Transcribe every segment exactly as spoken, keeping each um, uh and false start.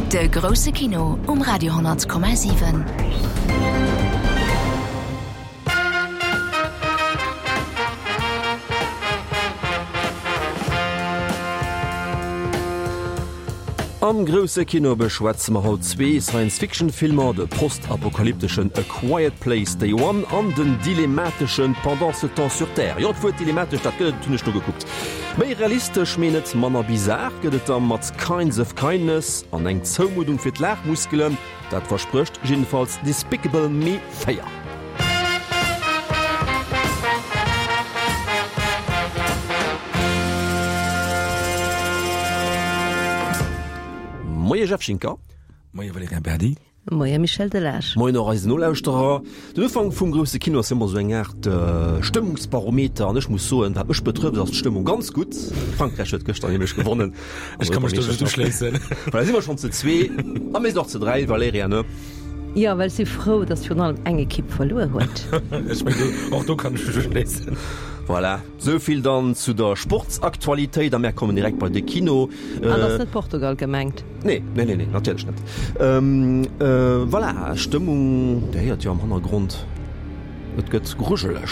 De grousse Kino um Radio honnert Komma siwen. Am grousse Kino beschwätze mer haut zwee Science-Fiction-Filmer, de postapokalypteschen A Quiet Place Day One an den dilemmateschen Pendant ce temps sur Terre. Jo, d'Wuert dilemmatesch, dat gëtt et, hunn ech nogekuckt. Méi realistesch, mee net manner bizar gëtt et da mat Kinds of Kindness an eng Zoumuddung fir d'Laachmuskelen, dat versprécht jiddefalls Despicable Me véier. Moie Jeff Schinker. Moie Valerien Berdi. Moie Michel Delage. Moien och eisen Nolauschterer. Den Ufank vum grousse Kino ass ëmmer esou eng Aart Stëmmungsbarometer an ech muss soen, wat mech betrëfft, ass d'Stëmmung ganz gutt. Frankräich huet gëschter nämlech gewonnen. Ech ka mech do just uschléissen. Voilà, si mer schonn ze zwee a mir sinn och ze dräi, Valerija, ne? Jo, well ech si frou, datt virun allem eng Ekipp verluer huet. Ech mengen, och do kann ech mech uschléissen. Voilà, sou vill dann zu der Sportsaktualitéit a mär kommen direkt bei de Kino. An ass net Portugal gemengt? Nee, nee, nee, nee, natierlech net. Voilà, Stëmmung, Dir héiert jo am Hannergrond, et gëtt grujeleg.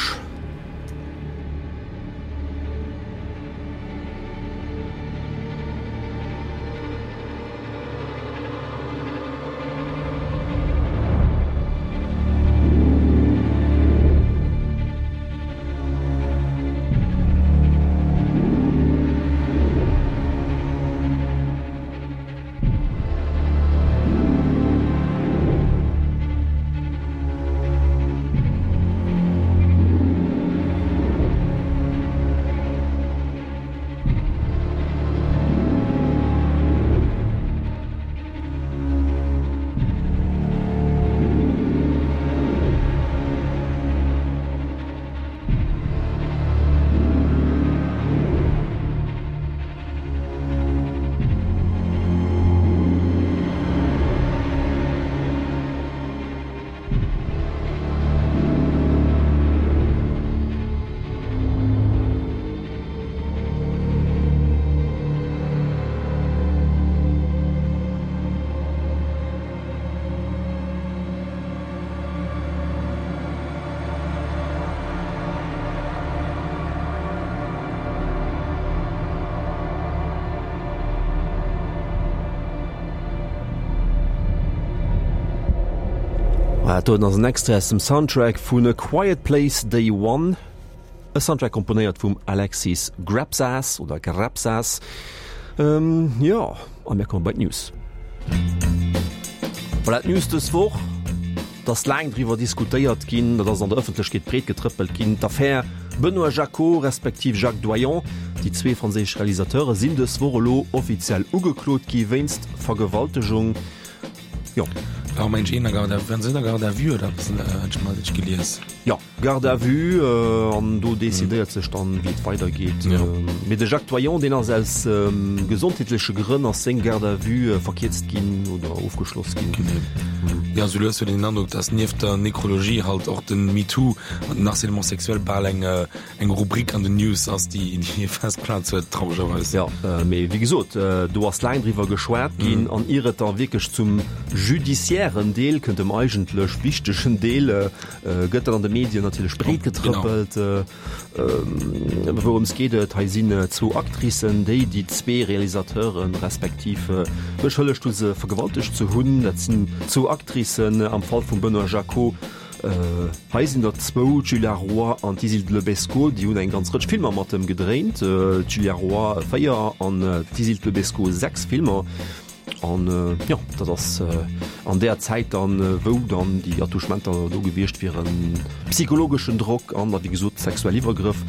Dat doen ass en Extrait aus dem Soundtrack vun A Quiet Place Day One, e Soundtrack komponéiert vum Alexis Grapsas oder Grapsas. Jo, a mir komme bei d'News. Voilà, d'News dës Woch, Et ass laang driwwer diskutéiert ginn, dat ass an der Ëffentlechkeet breet getrëppelt ginn, d'Affär Benoît Jacquot respektiv Jacques Doillon. Déi zwee franséisch Realisateure sinn dës Woch elo offiziell ugeklot gi wéinst Vergewaltegung. Jo. War mensch een a Garde à vue, waren se net a Garde à vue oder eppes, hat ech mal gelies. Jo, Garde à vue, an do decidéiert sech dann, wéi et weidergeet. Mee de Jacques Doillon, deen ass aus gesondheetleche Grënn ass seng Garde à vue verkierzt ginn oder ofgeschloss ginn. Genee. Jo, sou lues huet een den Androck, datt nieft der Nekrologie halt och de MeToo an den Harcèlement sexuel bal eng eng Rubrik an den News ass, déi déi fest Plaz huet, trauregerweis. Jo, mee wéi gesot, do ass laang driwwer geschwat ginn an ier et da wierklech zum judiciairen Deel kënnt, dem eigentlech wichtegen Deel, gëtt dat an de Medien natierlech breet getrëppelt. Wourëms geet et? Hei sinn zwou Actricen, déi déi zwee Realisateuren respektiv beschëllegt hu se vergewaltegt ze hunn. Dat sinn zwou Actricen am Fall vum Benoît Jacquot. Hei sinn der zwou, d'Julia Roy an d'Isild Le Besco, déi hunn eng ganz Rëtsch Filmer mat em gedréint. D'Julia Roy véier an d'Isild Le Besco sechs Filmer. An jo, dat ass an där Zäit dann, wou dann déi Attouchementer do gewiescht wieren, psychologeschen Drock an da wéi gesot sexuell Iwwergrëff.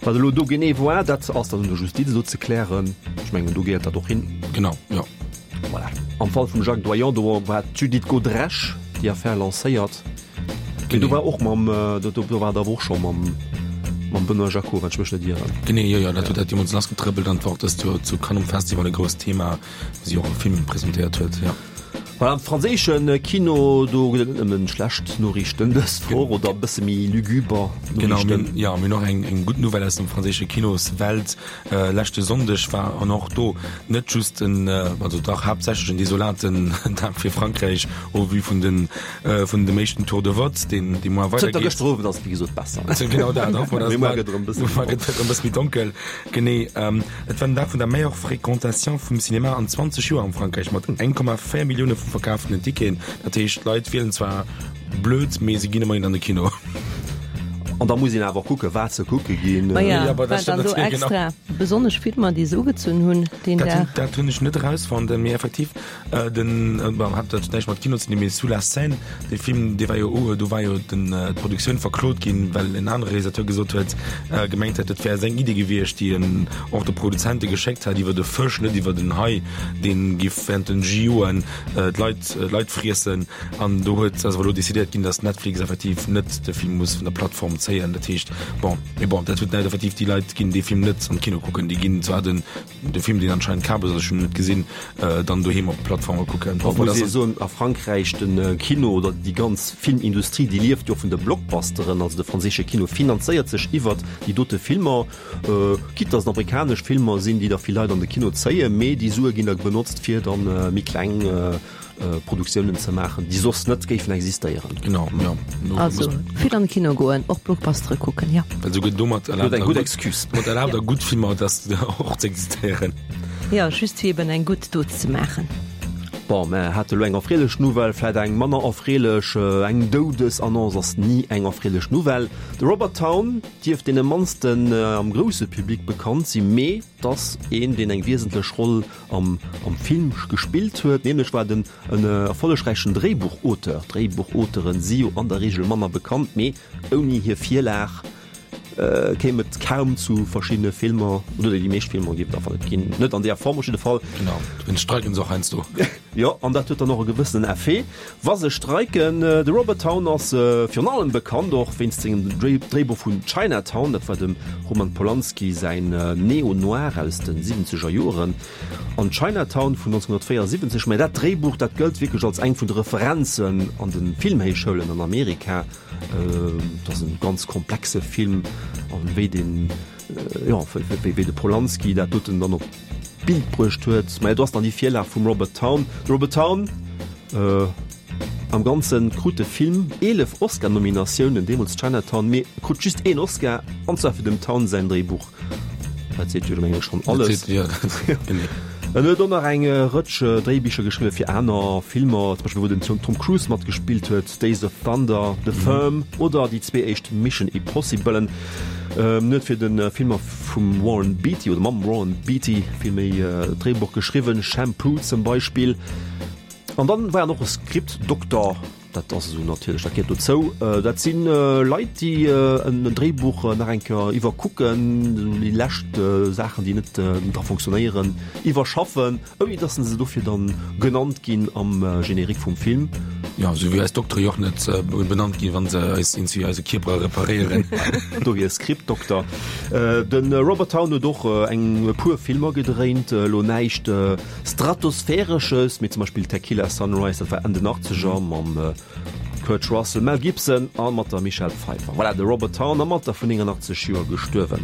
Wat elo do genee war, dat ass dann un der Justiz elo ze klären. Ech mengen, do gehéiert dat och hin. Genau, jo. Voilà. Am Fall vum Jacques Doillon, do war d'Judith Godrèche déi Affär lancéiert. Mee do war och mam, do do war et awer och scho mam mam Benoît Jacquot, wann ech mech net ieren. Genee, jo, jo, dat huet dat deemools lassgetrëppelt an et war och dëst Joer zu Cannes um Festival e grousst Thema, wou si och e Film presentéiert huet, jo. Voilà, am franséische Kino, do gëtt et net nëmmen schlecht Noriichten dës Woch oder e bësse méi luguber Genau, mir, Noriichten. ja, mir hunn och eng, eng gutt Nouvelle aus dem franséische Kinoswelt. Äh, leschte Sonndeg war an och do net just en, also dach haaptsächlech en desolaten Dag fir Frankräich au vu vun den, äh, vun dem éischten Tour de vote, deen, dee muer Zënter weidergeet. gëschter Owend ass et wéi gesot besser. Genau dat, hoffen mer, Mee dass muer gëtt erëm e bësse muer gëtt et erëm e bësse méi donkel. Genee, ähm, et war den Dag vun der meilleure Fréquentation vum Cinéma an zwanzeg Joer am Frankräich mat eng Komma véier Millioune vu verkaaften Ticketen. Dat heescht, d'Leit wielen zwar blöd, mee se ginn ëmmerhin an de Kino. An da muss een awer och kucken, wat se kucke ginn. Ma ja, Ja, aber dat war dann stimmt do natierlech, genau. extra besonnesch Filmer, déi se ugezunn hunn deen Dat hunn, Dag? dat hunn ech net erausfonnt, mee effektiv den, bon, hat dat näischt mat Kino ze dinn, mee Sous la Seine, dee Film, dee war jo u, do war jo den, d'Produktioun verklot ginn, well en anere Realisateur gesot huet, gemengt hätt, et wär seng Iddi gewiescht, déi en och de Produzente geschéckt hat, iwwer e Fësch, net iwwer en Hai, dee giff während den JOen d'Leit, d'Leit friessen. An do huet, ass awer elo decidéiert ginn, datt Netflix effektiv net de Film muss vun der Plattform zéien. Dat heescht, bon, mee bon, dat huet näischt, effektiv, déi Leit ginn dee Film net am Kino kucken, déi ginn zwar den, de Film, deen anscheinend Kabes ass, ech hunn en net gesinn, dann doheem op Plattforme kucken. Muss ee soen, a Frankräich, de Kino oder déi ganz Filmindustrie, déi lieft jo vun de Blockbusteren. Also de franséische Kino finanzéiert sech iwwert déi dote Filmer, quitte dass et amerikanesch Filmer sinn, déi da vill Leit an de Kino zéien, mee déi Sue ginn da benotzt, fir dann méi kleng Produktiounen ze maachen, déi soss net géifen existéieren. Genau, jo. Also vill an de Kino goen, och Blockbustere kucken, jo. Well souguer domat erlaabt eng gutt Excuse. Domat erlaabt der gutt Filmer, dass och ze existéieren. Jo, just fir eben eng gutt Dot ze maachen. Bon, mer hate lo eng erfreelech Nouvelle, vläit eng manner erfreelech. Eng Doudesannonce ass ni eng erfreelech Nouvelle. De Robert Towne dierft deene mannsten am grousse Public bekannt sinn, mee 't ass een, deen eng wiesentlech Roll am am Film gespillt huet, nämlech war den en erfollegräichen Dréibuchauteur. Dréibuchauteuren si jo an der Reegel manner bekannt, mee ouni hir Virlag kéim et kaum zu verschiddene Filmer, oder déi meescht Filmer géif et einfach net ginn, net an deeër Form op jidde Fall. Genau, dowéinst streiken se och heiansdo. Jo, an dat huet dann och e gewëssenen Effet, wa se streiken. De Robert Towne ass virun allem bekannt och wéinst sengem Dréibuch vun Chinatown, dat war dem Roman Polanski säin Neo-Noir aus de siwwenzeger Joren, an Chinatown vun nonzénhunnertvéiersiwwenzeg. Mä dat Dréibuch, dat gëllt wierklech als eng vun de Referenzen an de Filmhéichschoulen an Amerika. Et ass e ganz komplexe Film, an wéi den, jo, wéi de Polanski dat doten dann op d'Bild bruecht huet. Maja, do ass dann déi Virlag vum Robert Towne. De Robert Towne, am Ganze krut de Film eelef Oscar-Nominatiounen, deemools Chinatown, mee e krut just een Oscar, an zwar fir dem Towne säin Dréibuch. Dat seet jo mengen ech schonn alles. En huet och nach eng Rëtsch Dréibicher geschriwwe fir aner Filmer, zum Beispill wou den Tom Cruise matgespillt huet, Days of Thunder, The Firm oder déi zwee éischt Mission Impossiblen. En huet fir de Filmer vum Warren Beatty oder mam Warren Beatty villméi d'Dréibuch geschriwwen, Shampoo zum Beispill. An dann war en och e Scriptdokter, dat ass esou natierlech, dat gehéiert dozou. Dat si Leit, déi en Dréibuch nach eng Kéier iwwerkucken, esou déi lescht Saachen, déi net dra funktionéieren, iwwerschaffen, ouni datt se dofir dann genannt ginn am Générique vum Film. Jo, esou wéi eis Doktere jo och net benannt ginn, wa se eis iergendwéi eise Kierper reparéieren. Dohier Scriptdokter. De Robert Towne huet och eng e puer Filmer gedréint, elo näischt Stratosphäresches, mee zum Beispill Tequila Sunrise, dat war Enn den Achtzeger mam Kurt Russell, Mel Gibson a mat der Michelle Pfeiffer. Voilà, de Robert Towne am Alter vun néngannachtzeg Joer gestuerwen.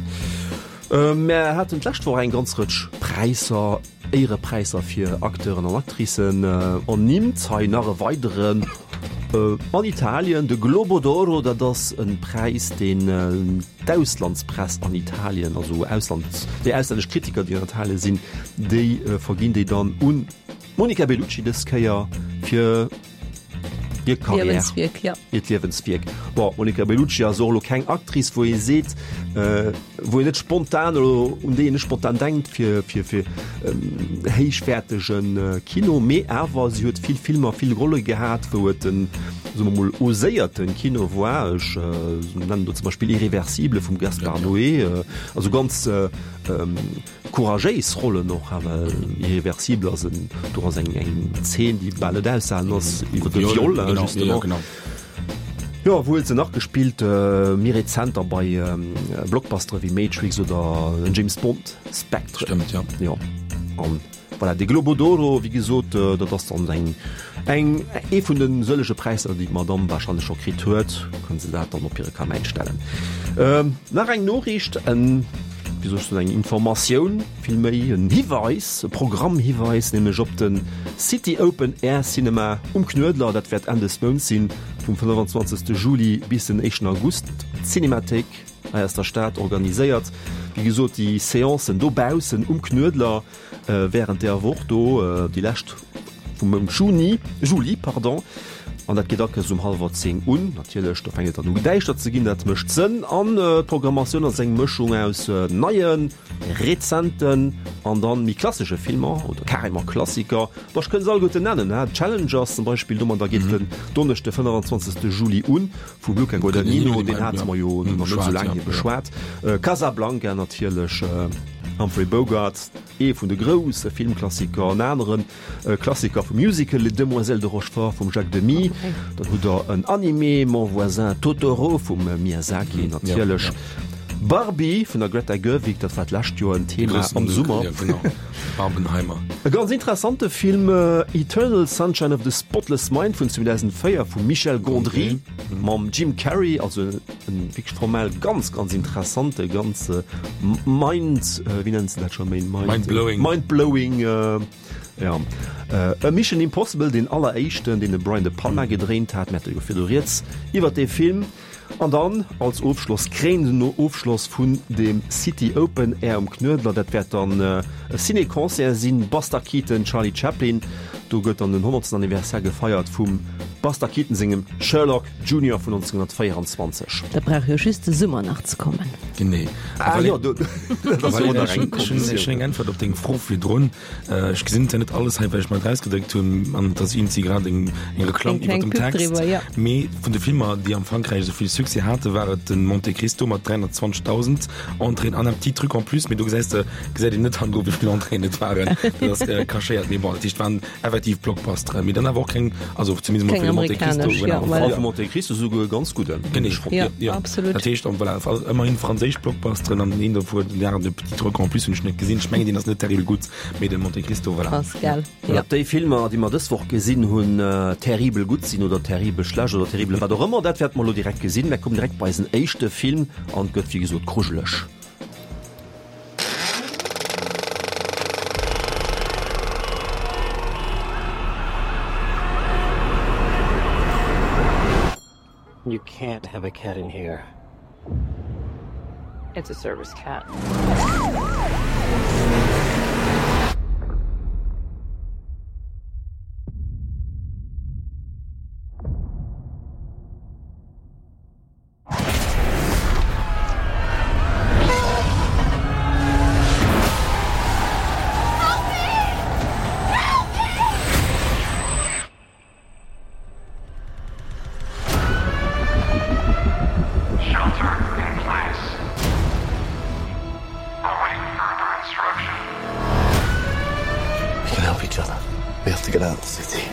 Mär haten d'lescht Woch eng ganz Rëtsch Präisser, Éierepräisser fir Acteuren an Actricen ernimmt. Hei nach e weideren an Italien, de Globo d'Oro. Dat ass e Präis, deen d'Auslandspress an Italien, also Ausland, déi auslännesch Kritiker, déi an Italien sinn, déi verginn déi dann un d'Monica Bellucci dës Kéier fir hir Karriär, Liewenswierk, ja. Hiert Liewenswierk. Bon, d'Monica Bellucci ass och elo keng Actrice, wou ee seet, wou een net spontan elo, un déi een net spontan denkt fir, fir, fir héichwäertege Kino, mee awer si huet vill Filmer, vill Rolle gehat, wou et en, soe mer mol, oséierte Kino war. Ech nennen do zum Beispill Irréversible vum Gaspar Noé, also ganz Couragéis Rollen och, awer Irréversible ass en, do ass eng eng Zeen, déi bal net aushalen ass, iwwer de Viol, justement. Jo, wou huet se nach gespillt? Méi rezent da bei Blockbustere wéi Matrix oder den James Bond, Spectre. Stëmmt, jo. Jo, an Voilà, de Globo d'Oro, wéi gesot, dat ass dann eng, eng, ee vun de sëllege Präisser, déi d'Madame warscheinlech scho kritt huet. Kënne se dat dann op hire Kamäin stellen. Nach eng Noriicht, en, wéi soll ech soen, eng Informatioun, villméi en Hiweis, e Programmhiweis, nämlech op de City Open Air Cinema um Knuedler. Dat wäert Enn des Mounts sinn, vum fënnefenzwanzegste Juli bis den éischten August. D'Cinémathéik hei aus der Stad organiséiert, wéi gesot, déi Seancen dobaussen um Knuedler wärend där Woch do, déi lescht vum Mount Juni, Juli, pardon. An dat geet akes um hallwer zéng un. Natierlech, do fänkt et dann u däischter ze ginn, dat mécht Sënn. An d'Programmatioun ass eng Mëschung aus neien, rezenten an dann méi klassesche Filmer oder carrément Klassiker. Bon, ech kënnt se alleguerten nennen, he, Challengers zum Beispill, domadder geet den Donneschde fënnefenzwanzegste Juli un, vum Luca Guadagnino, deen hate mer jo nach net esou laang hier beschwat. Casablanca natierlech, Humphrey Bogart, ee vun de grousse Filmklassiker, en aneren Klassiker vum Musical, Les Demoiselles de Rochefort vum Jacques Demy. Dann hutt der en Animé, Mon voisin Totoro vum Miyazaki natierlech. Barbie vun der Greta Gerwig, dat war d'lescht Joer en Thema am Summer. Barbenheimer. E ganz interessante Film, Eternal Sunshine of the Spotless Mind vun zweedausenvéier vum Michel Gondry mam Jim Carrey, also e wierklech formell ganz, ganz interessante, ganz mind, wéi nennen se dat scho méi? Mind-blowing. Mind-blowing, ja. E Mission Impossible, deen alleréischten, deen de Brian De Palma gedréint hat, mir hate jo virdu rieds iwwert dee Film. An dann als Ofschloss, kréinenden Ofschloss vun dem City Open Air um Knuedler, dat wäert dann e Ciné-Concert sinn, Buster Keaton, Charlie Chaplin. Do gëtt dann den honnertsten Anniversaire gefeiert vum Buster Keaton sengem Sherlock Junior vun neunzehnhundertvéierundzwanzeg. Da brauch jo just de Summer nach ze kommen. Genee. Ah jo, do, dat ass jo nach eng Konditioun. Ech hunn eng Äntwert op deng Fro virdrun. Ech gesinn zwar net alles hei, well ech mer et erausgedréckt hunn, an et ass iergendwéi grad eng Reklamm Eng kleng iwwer dem Pub Text. driwwer, jo. Mee vun de Filmer, déi am Frankräich esou vill Succès haten, war et den Monte Cristo mat dräihunnertzwanzegdausend Entréeën an un petit truc en plus, mee do gesäis de, gesäit een net hannendru wéi vill Entréeën et waren. Dat ass cachéiert. Mee bon, dat heescht, et waren effektiv Blockbustere, mee dann awer och keng, also zumindest emol Keng fir de Monte Cristo, amerikanesch, genau. jo, voilà. Fall vum Monte Cristo souguer e ganz gudden. Genee, Jo, jo. absolut. Dat heescht, voilà, ëmmerhin franséisch Blockbusteren an een dovu, den aneren, de petit truc en plus hunn ech net gesinn. Ech mengen, deen ass net terribel gutt, mee de Monte Cristo, voilà. Ass gell, jo. Ob déi Filmer, déi mer dës Woch gesinn hunn, terribel gutt sinn oder terribel schlecht oder terribel wat och ëmmer, dat wäerte mer elo direkt gesinn. Mer kommen direkt bei eisen éischte Film an et gëtt wéi gesot grujeleg. You can't have a cat in here. It's a service cat. Shelter in place. Await further instruction. We can help each other. We have to get out of the city.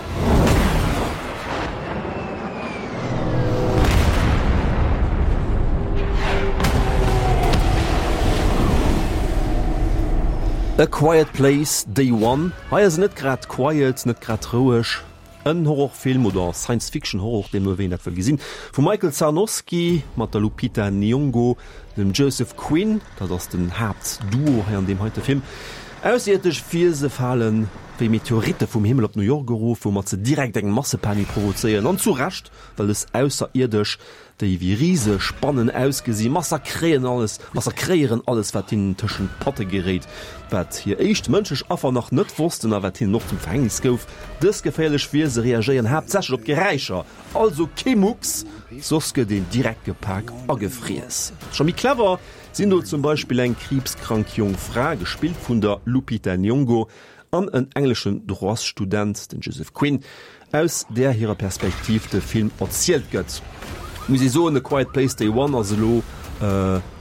A Quiet Place, Day One. Hei ass et net grad quiet, net grad roueg. En Horrorfilm oder Science-Fiction-Horror, deemno wéi een dat wëll gesinn, vum Michael Sarnoski mat der Lupita Nyong'o, dem Joseph Quinn, dat ass den Haaptduo hei an deem heite Film. Ausserierdesch Wiese fale wéi Meteoritte vum Himmel op New York erof, woumat se direkt eng Massepanik provozéieren, an zu Recht, well dës Ausserierdesch déi wéi rise Spannen ausgesi massakréien alles, massakréieren alles, wat hinnen tëschent d'Patte geréit. Wat hir éischt mënschlech Affer nach net wossten a wat hinnen och zum Verhängnis gouf, dës geféierlech Wiese reagéieren haaptsächlech op Geräischer, also kee Mucks, soss gëtt een direkt gepak a gefriess. Scho méi clever sinn do zum Beispill eng kriibskrank jonk Fra, gespillt vun der Lupita Nyong'o, an en engleschen Droitsstudent, den Joseph Quinn, aus där hirer Perspektiv de Film erzielt gëtt. Muss ee soen, A Quiet Place Day One ass elo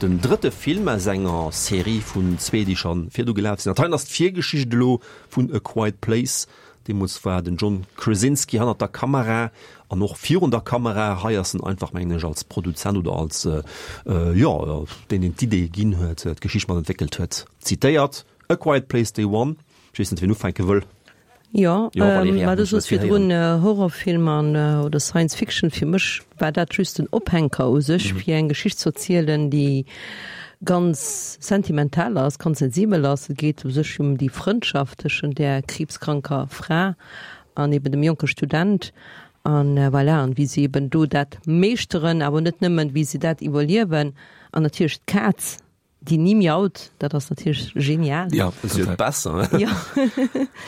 den drëtte Film aus enger Serie vun zwee, déi scho virdu gelaf sinn. Dat heien ass d'Virgeschicht elo vun A Quiet Place. Deemools war den John Krasinski hannert der Kamera an och virun der Kamera. Hei ass en einfach, mengen ech, als Produzent oder als, jo, deen, deen d'Idee ginn huet, d'Geschicht mat entwéckelt huet, zitéiert, A Quiet Place Day One. Ech weess net, wien ufänke wëll. Jo, Jo, Valerija, mä du ech wëll soos vill virdrun héieren. Horrorfilm an oder Science Fiction, fir mech war dat just den Ophänker u sech, fir eng Geschicht ze erzielen, déi ganz sentimental ass, ganz sensibel ass. Et geet u sech ëm déi Frëndschaft tëschent där kriibskranker Fra an eben dem jonke Student an voilà, an wéi si eben do dat meeschteren, awer net nëmmen, wéi si dat iwwerliewen an natierlech d'Kaz, déi ni miaut, dat ass natierlech genial. Ja, Das ist jo besser. Ja.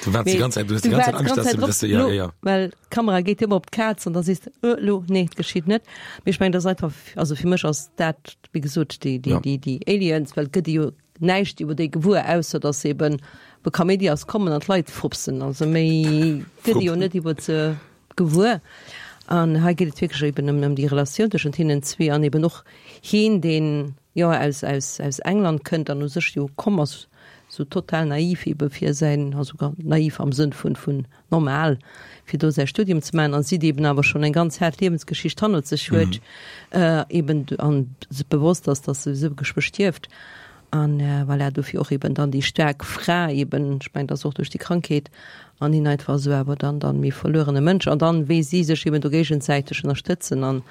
Du waarts déi ganz Zäit, du hues déi ganz Zäit Angscht, dass du, dass du, ja, ja, ja. Well d'Kamera geet ëmmer op d'Kaz an da sees de, äh, lo, nee, et geschitt net. Mee ech mengen, dat ass einfach, also fir mech ass dat, wéi gesot, déi, déi, Ja. déi, déi Aliens, well et gëtt jo näischt iwwer déi gewuer, ausser dass se eben be Kaméidi ass kommen an d'Leit frupsen. Also méi gëtt jo net iwwer se gewuer. An hei geet et wierklech eben ëm, ëm déi Relatioun tëschent hinnen zwee an eben och hien, deen jo aus, aus, aus England kënnt an u sech jo komm ass, sou total naiv ebe fir säin, also naiv am Sënn vun, vun normal, fir do säi Studium ze maachen, an si, déi eben awer schonn eng ganz haart Liewensgeschicht hannert sech huet, eben an sech bewosst ass, dass se souwisou geschwë stierft. An voilà, dofir och eben dann déi staark Fra eben, ech mengen, dat ass och duerch déi Krankheet, an hien einfach esou awer dann dann méi verluerene Mënsch. An dann, wéi si sech eben do géigesäiteg ënnerstëtzen an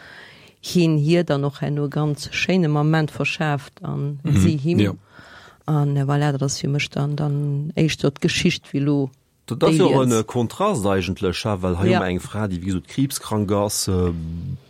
hien hir dann och herno e ganz schéine Moment verschaaft an si him. Jo. An voilà, dat ass fir mech dann dann éischter d'Geschicht wéi elo Dat ass jo och d'Aliens. e Kontrast eigentlech, ha, well hei hu Ja. mer eng Fra, déi wéi gesot kriibskrank ass,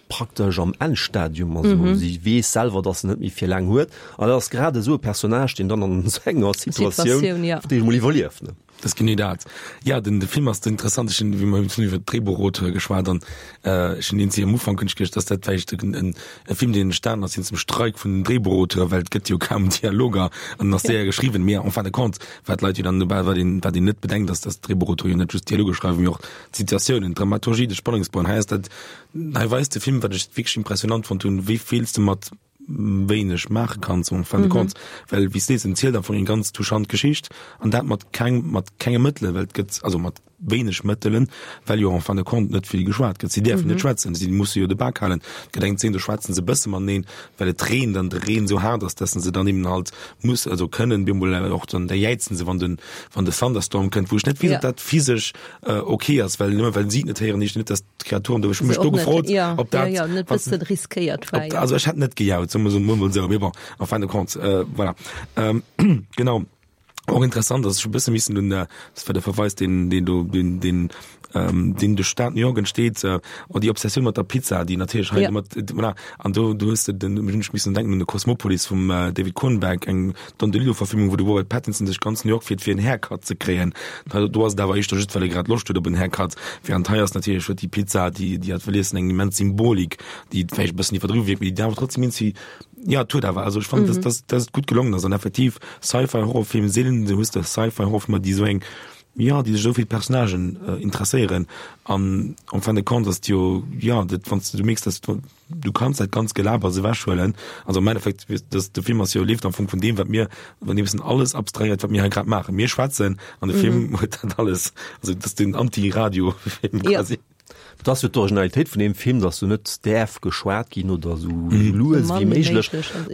praktesch am Endstadium, also Mhm. si weess selwer, dass se net méi fir laang huet. An dat ass grad esou e Personnage, deen dann an esou enger Situatioun Situatioun, ja. fir d'éischt emol iwwerlieft, ne? Dat ass genee dat. Ja, den, de Film ass interessant. Ech hunn, wéi mer hunn iwwer d'Dréibuchauteure geschwat an äh, ech hunn eenzi am Ufank hunn ech geduecht, dass dat vläicht en, en, e Film, deen entstanen ass wéinst dem Streik vun den Dréibuchauteure, well et gëtt jo kaum Dialoger an ass séier geschriwwen. Mee en fin de compte, wat d'Leit jo dann dobäi, wat een, wat een net bedenkt, ass, dass d'Dréibuchauteure jo net just Dialoge schreiwen, mee och d'Situatiounen, d'Dramaturgie, de Spannungsbogen. Hei ass dat, hei weist de Film, wat ech wierklech impressionant fonnt hunn, wéi vill s de mat wéineg maache kanns en fin de compte, well wéi s de sees, en zielt am Fong eng ganz touchant Geschicht an dat mat keng, mat kenge Mëttelen, well et gëtt, also mat wéineg Mëttelen, well jo en fin de compte net vill geschwat gëtt. Si däerfen net schwätzen, si musse jo de Bak halen. Et gëtt eng Zeen, do schwätzen se e bësse mateneen, well et reent an de Reen esou haart ass, dass se dann eben halt muss, also kënnen, bemol och dann, da jäizen se, wann den, wann de Thunderstorm kënnt, wou ech net weess, ob dat physesch ok ass, well nëmme well si et net héieren, heescht net, dass d'Kreaturen do. Ech hu mech do gefrot, ob dat, ja, net bëssen riskéiert war, ob, also ech hätt net gejaut, soe mer mol esou, mee bon, en fin de compte, voilà. Genau. Och interessant, dass ech e bësse missen un, dat war de Verweis, deen, deen do, deen, deen, ähm, deen de Staat New York entsteet, äh, oh, déi Obsessioun mat der Pizza, déi natierlech hei Ja. mat, voilà. An do, do hues de den, hunn ech missen denken un de Cosmopolis vum äh, David Cronenberg, eng Don DeLillo-Verfilmung, wou de Robert Pattinson sech ganz New York fiert, fir en Haircut ze kréien. Da, do ass et awer éischter just, well e grad Loscht huet op en Haircut. Während hei ass natierlech, huet déi Pizza, déi, déi hat wëll iessen, eng immens Symbolik, déi vläicht e bëssen iwwerdriwwe wierkt, mee déi awer trotzdem irgendwie Ja, et huet awer, also ech fannen, dass, dass, dass et gutt gelongen ass an effektiv Sci-Fi-Horrorfilm, seelen du hues de Sci-Fi-Horrorfilmer, déi esou eng, ja, déi sech esou fir d'Personnagen äh, interesséieren an en fin de compte ass et jo, ja, dat wann s du mierks, dass du, du kanns dat ganz Gelabers ewechhuelen, also am Endeffekt, dass de Film ass jo, leeft am Fong vun deem, wat mir, wann ee bëssen alles abstrahéiert, wat mir hei grad maachen, mir schwätzen an de Film huet dat alles, also dat ass den Anti-Radio-Film quasi. Ja. Et ass jo d'Originalitéit vun deem Film, datt do net däerf geschwat ginn oder esou lues wéi méiglech.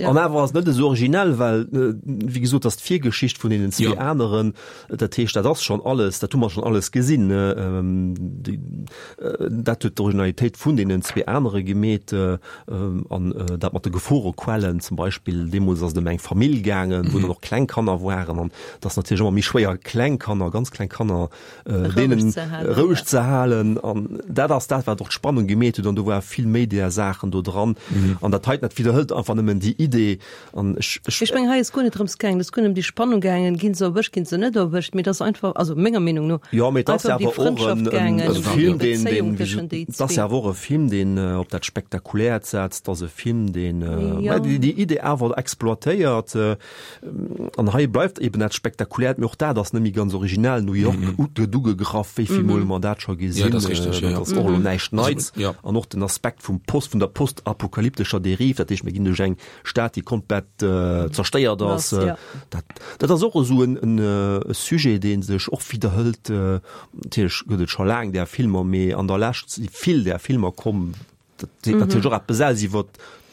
An awer ass et net esou originell, well, wéi gesot, ass d'Virgeschicht vun deenen zwee aneren, dat heescht, dat ass schonn alles, dat hu mer schonn alles gesinn. Dat huet d'Originalitéit vun deenen zwee anere gemeet. An dat mat de Geforequellen zum Beispill, deemools ass et ëm eng Famill gaangen, wou dann och kleng Kanner waren. An et ass natierlech ëmmer méi schwéier, kleng Kanner, ganz kleng Kanner, deenen roueg ze halen. An dat ass dat, wat och d'Spannung gemeet huet. An do war vill méi där Saachen do dran. An dat heiten, dat widderhëlt einfach nëmmen déi Idee. An ech, ech. Ech mengen, hei ass guer net drëms gaangen, et ass guer net ëm déi Spannung gaangen, ginn se erwëscht, ginn se net erwëscht, mee et ass einfach, also menger Meenung no, Jo, mee et ass einfach ëm déi awer och en, Frëndschaft en, gaangen, e ëm déi Film, deen, Bezéiung deen, wéi tëschent déi et ass zwee. awer och e Film, deen op dat Spektakuläert setzt. Et ass e Film, deen, Jo. déi, déi Idee awer exploitéiert. An hei bleift eben dat Spektakuläert, mee och dat ass net méi ganz originell. New York gëtt ugegraff, wéi vill Mol hu mer dat scho Ja, gesinn? dat ass richteg, ja, Dat ja. ass och elo näischt Neits. Ja. An och den Aspekt vum Post, vun der postapokalyptescher Derive, dat heescht, mir ginn duerch eng Stad, déi komplett zerstéiert ass. Ja. Dat, dat ass och esou en, en Sujet, dee sech och widderhëlt. Natierlech gëtt et scho laang där Filmer, mee an der Lescht si vill där Filmer komm. Dat seet natierlech och eppes aus iwwer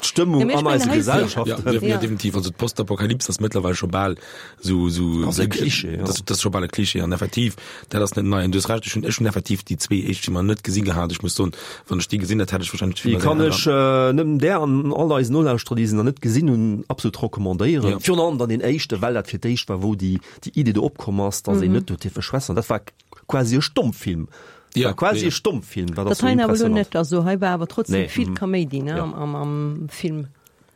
d'Stëmmung Ja, mee ech an mengen, eiser hei- Gesellschaft. Ja, ja, ja, definitiv. Also d'Postapokalyps ass mëttlerweil scho bal sou, sou, Ass e Klischee, ja. Dat, dat ass scho bal e Klischee an effektiv, dat ass net nei. An du hues Recht, ech hunn, ech hunn effektiv déi zwee éischt Filmer net gesi gehat. Ech muss soen, wann ech déi gesinn hätt, hätt ech wahrscheinlech Déi d'Filmer kann sehr ech äh, nëmmen där an all eisen Nolauschterer, déi se nach net gesinn hunn, absolut recommandéieren. Ja. Virun allem dann den éischte, well dat fir d'éischt war, wou déi, déi Idee do opkomm ass, dass een net huet dierfe schwätzen. Dat war quasi e Stommfilm. Ja, war quasi ja. e Stommfilm. Dat ass Dat so hei awer elo impressionant. net, also hei war awer trotzdem Nee, vill mhm. Kaméidi, ne, Ja. am, am, am Film.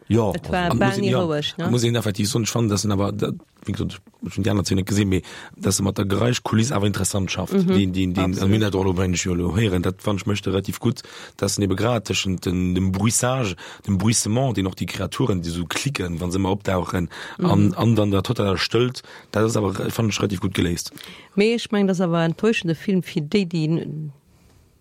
Ja, Et war An bal muss een- ni ja, roueg, ne? Muss een effektiv soen, ech fannen, dass en awer, dat, wéi gesot, ech hunn déi aner zwee net gesinn, mee dass e mat der Geräischkuliss awer interessant schafft. Mhm, Deen, deen, deen, absolut. also mir hunn dat och elo, mengen ech, jo elo héieren, dat fand ech mécht e relativ gutt, dass en ebe grad tëschent den, dem Bruissage, dem Bruissement, deen och déi Kreaturen, déi sou klicken, wann se ëmmer opdauchen, Mhm. an, an dann der totaler Stëllt, dat ass awer, fand ech, relativ gutt geléist. Mee ech mengen, dat ass awer en enttäuschende Film fir déi, déi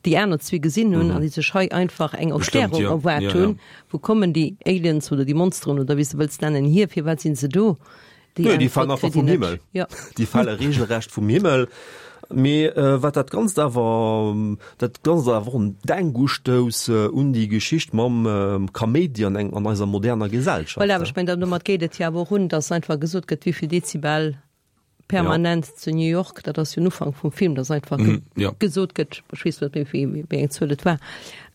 déi aner zwee gesinn hunn an déi sech hei einfach eng Bestimmt, Erklärung ja. erwaart Ja, hunn. ja. Wou kommen déi Aliens oder déi Monsteren oder wéi s de wëlls nennen hier, firwat sinn se do? Déi Nö, déi Äntwert fallen einfach kritt vum een net. Himmel. Ja. Déi fale regelrecht vum Himmel. Mee äh, wat dat Ganzt awer dat Ganzt awer och en Denkustouss äh, un déi Geschicht mam ähm, Kaméidi an eng an eiser moderner Gesellschaft. Voilà, awer ech mengen, domat geet et jo awer och un, dass einfach gesot gëtt, wéi vill Dezibel permanent zu New York, dat ass jo den Ufank vum Film, dass einfach Mhm, ja. gesot gëtt, ech weess net méi, wéi wéi eng Zuel et war,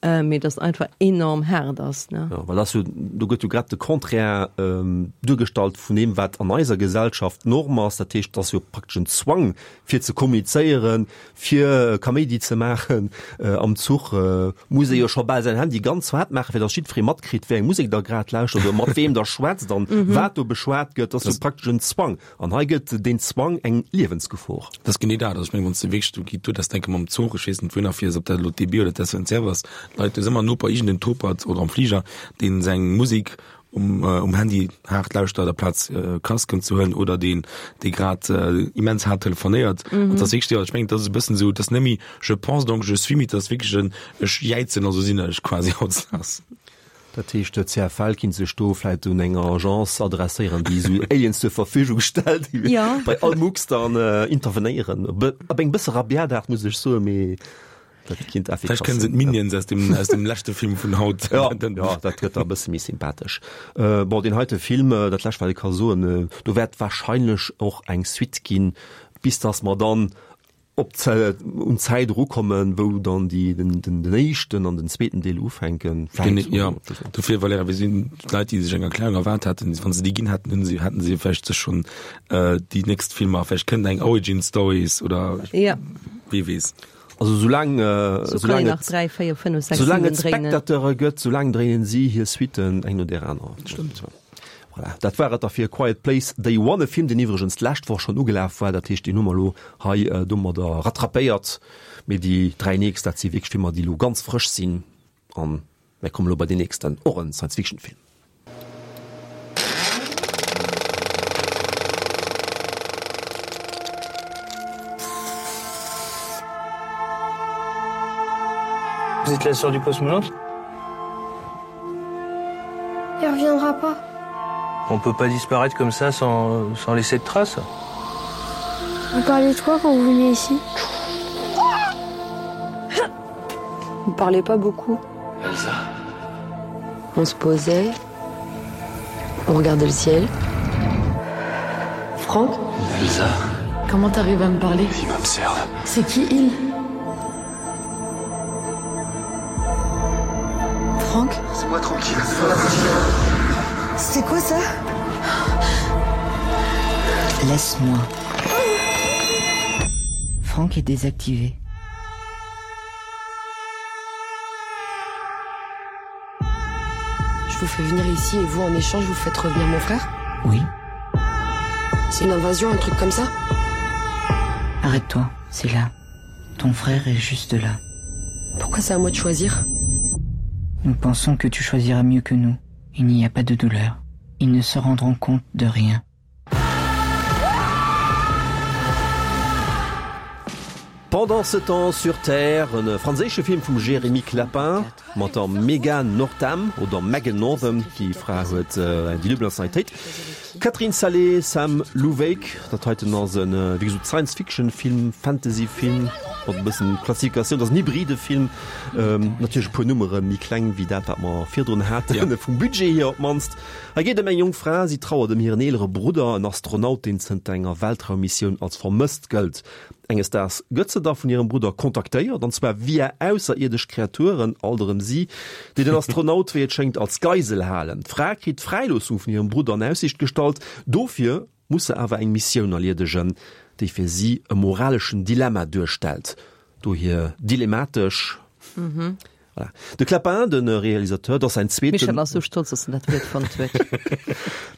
äh, mee dass einfach enorm haart ass, ne? Ja, well das jo, do gëtt jo grad de Contraire ähm, duergestallt vun deem, wat an eiser Gesellschaft Norm ass. Dat heescht, dat ass jo praktesch en Zwang fir ze kommunizéieren, fir Kaméidi ze maachen äh, am Zuch äh, muss ee jo scho bal säin Handy ganz haart maachen, fir dass jiddweree matkritt, wéi eng Musek da grad lauschtert oder mat wem der schwätzt an Mhm. wat do beschwat gëtt. Dat ass jo praktesch en Zwang. An hei gëtt den Zwang eng Liewensgefor. Dat ass genee dat. Also ech mengen, wann s de wierklech, du gi du das denke mam Zuch, ech weess net, wouhinner fiers, ob dat elo d'D B oder d'S N C F ass, Leit, do ass ëmmer en Noper, iergendeen Topert oder am Fliger, deen seng Musek um, äh, um Handy haart lauschtert, amplaz äh, Casquen ze huelen oder deen, dee grad äh, immens haart telefonéiert. Mhm. An dat ass wierklech, ja, ech mengen, dat ass e bëssen sou, dat ass net méi je pense donc je suis, mee dat ass wierklech en ech jäizen, also sinn ech quasi hautdesdaags. Dat heescht, de C F L kinnt sech do vläicht un eng Agence adresséieren, déi sou Aliens zur Verfügung stellt, déi Ja. bei all Mucks dann äh, intervenéieren. Op eng bësse rabiat Aart, muss ech soen, mee dat kinnt Vläicht effikass kënnen se sinn. d'Minions aus dem, aus dem leschte Film vun haut. Ja, ja, dat gëtt da e bësse méi sympathesch. Äh, bon, deen heite Film, äh, dat lescht, wat ech ka soen, äh, do wäert warscheinlech och eng Suite ginn, bis dass mer dann op Zä- un Zäit erukommen, wou dann déi, den, den, den éischten an den zweeten Deel ufänken. Gene, Vläicht. ja, dofir, Valerija, wir sinn Leit, déi sech eng Erklärung erwaart haten, wann se déi ginn hätten, hunn se, hätten se vläicht sech schonn äh, déi nächst Filmer, vläicht kënnt eng Origin Stories oder Ja. wie weess. Also soulaang, äh, So kann soulaang een nach et, dräi, véier, fënnef, sechs, soulaang siwen et dréinen. Spectateure gëtt, soulaang dréinen si hir Suiten eng no där anerer. Stëmmt. Voilà, dat war et da fir Quiet Place Day One, e Film, deen iwwregens d'lescht Woch schonn ugelaf war, dat heescht, deen hu mer elo hei äh, domadder rattrapéiert. Mee déi dräi nächst, dat si wierklech Filmer, déi elo ganz frësch sinn. An mir kommen elo bei den nächsten, och en Science-Fiction-Film. Vous êtes la sœur du cosmonaute? Il reviendra pas. On peut pas disparaître comme ça sans, sans laisser de traces. Vous parlez de quoi quand vous venez ici? On parlait pas beaucoup. Elsa. On se posait, on regardait le ciel. Franck, Elsa. comment t'arrives à me parler? Il m'observe. C'est qui il? Franck? Laissez-moi tranquille. C'est quoi ça? Laisse-moi. Franck est désactivé. Je vous fais venir ici et vous, en échange, vous faites revenir mon frère? Oui, C'est une invasion, un truc comme ça? Arrête-toi, c'est là. Ton frère est juste là. Pourquoi c'est à moi de choisir? Nous pensons que tu choisiras mieux que nous. Il n'y a pas de douleur. Ils ne se rendront compte de rien. Pendant ce temps sur Terre, e franséische Film vum Jérémy Clapin mat der Megan Northam oder Megan Northam, déi Fra huet äh, déi duebel Nationalitéit. Catherine Salé, Sam Louwyck, dat heiten ass en, wéi gesot, Science-Fiction-Film, Fantasy-Film. mat e bëssen Klassifikatioun, dat ass en hybride Film, natierlech e puer Nummere méi kleng wéi dat, wat mer virdrun haten, vum Budget hier op d'mannst. Hei geet ëm eng jonk Fra, si trauert ëm hiren eelere Brudder, en Astronaut, deen zënter enger Weltraummissioun als vermësst gëllt. Enges Daags gëtt se da vun hirem Brudder kontaktéiert, an zwar via ausserierdesch Kreaturen, alt erëm si, déi den Astronaut, wéi et schéngt, als Geisel halen. D'Fra kritt d'Fräiloossung vun hirem Brudder an Aussiicht gestallt, dofir muss se awer eng Missioun erliedegen, déi fir si e moraleschen Dilemma duerstellt. Dohier dilemmatesch. Voilà. De Clapin, de Realisateur, dat ass säin zweeten. Michel ass sou stolz, dass en dat Wuert fonnt huet.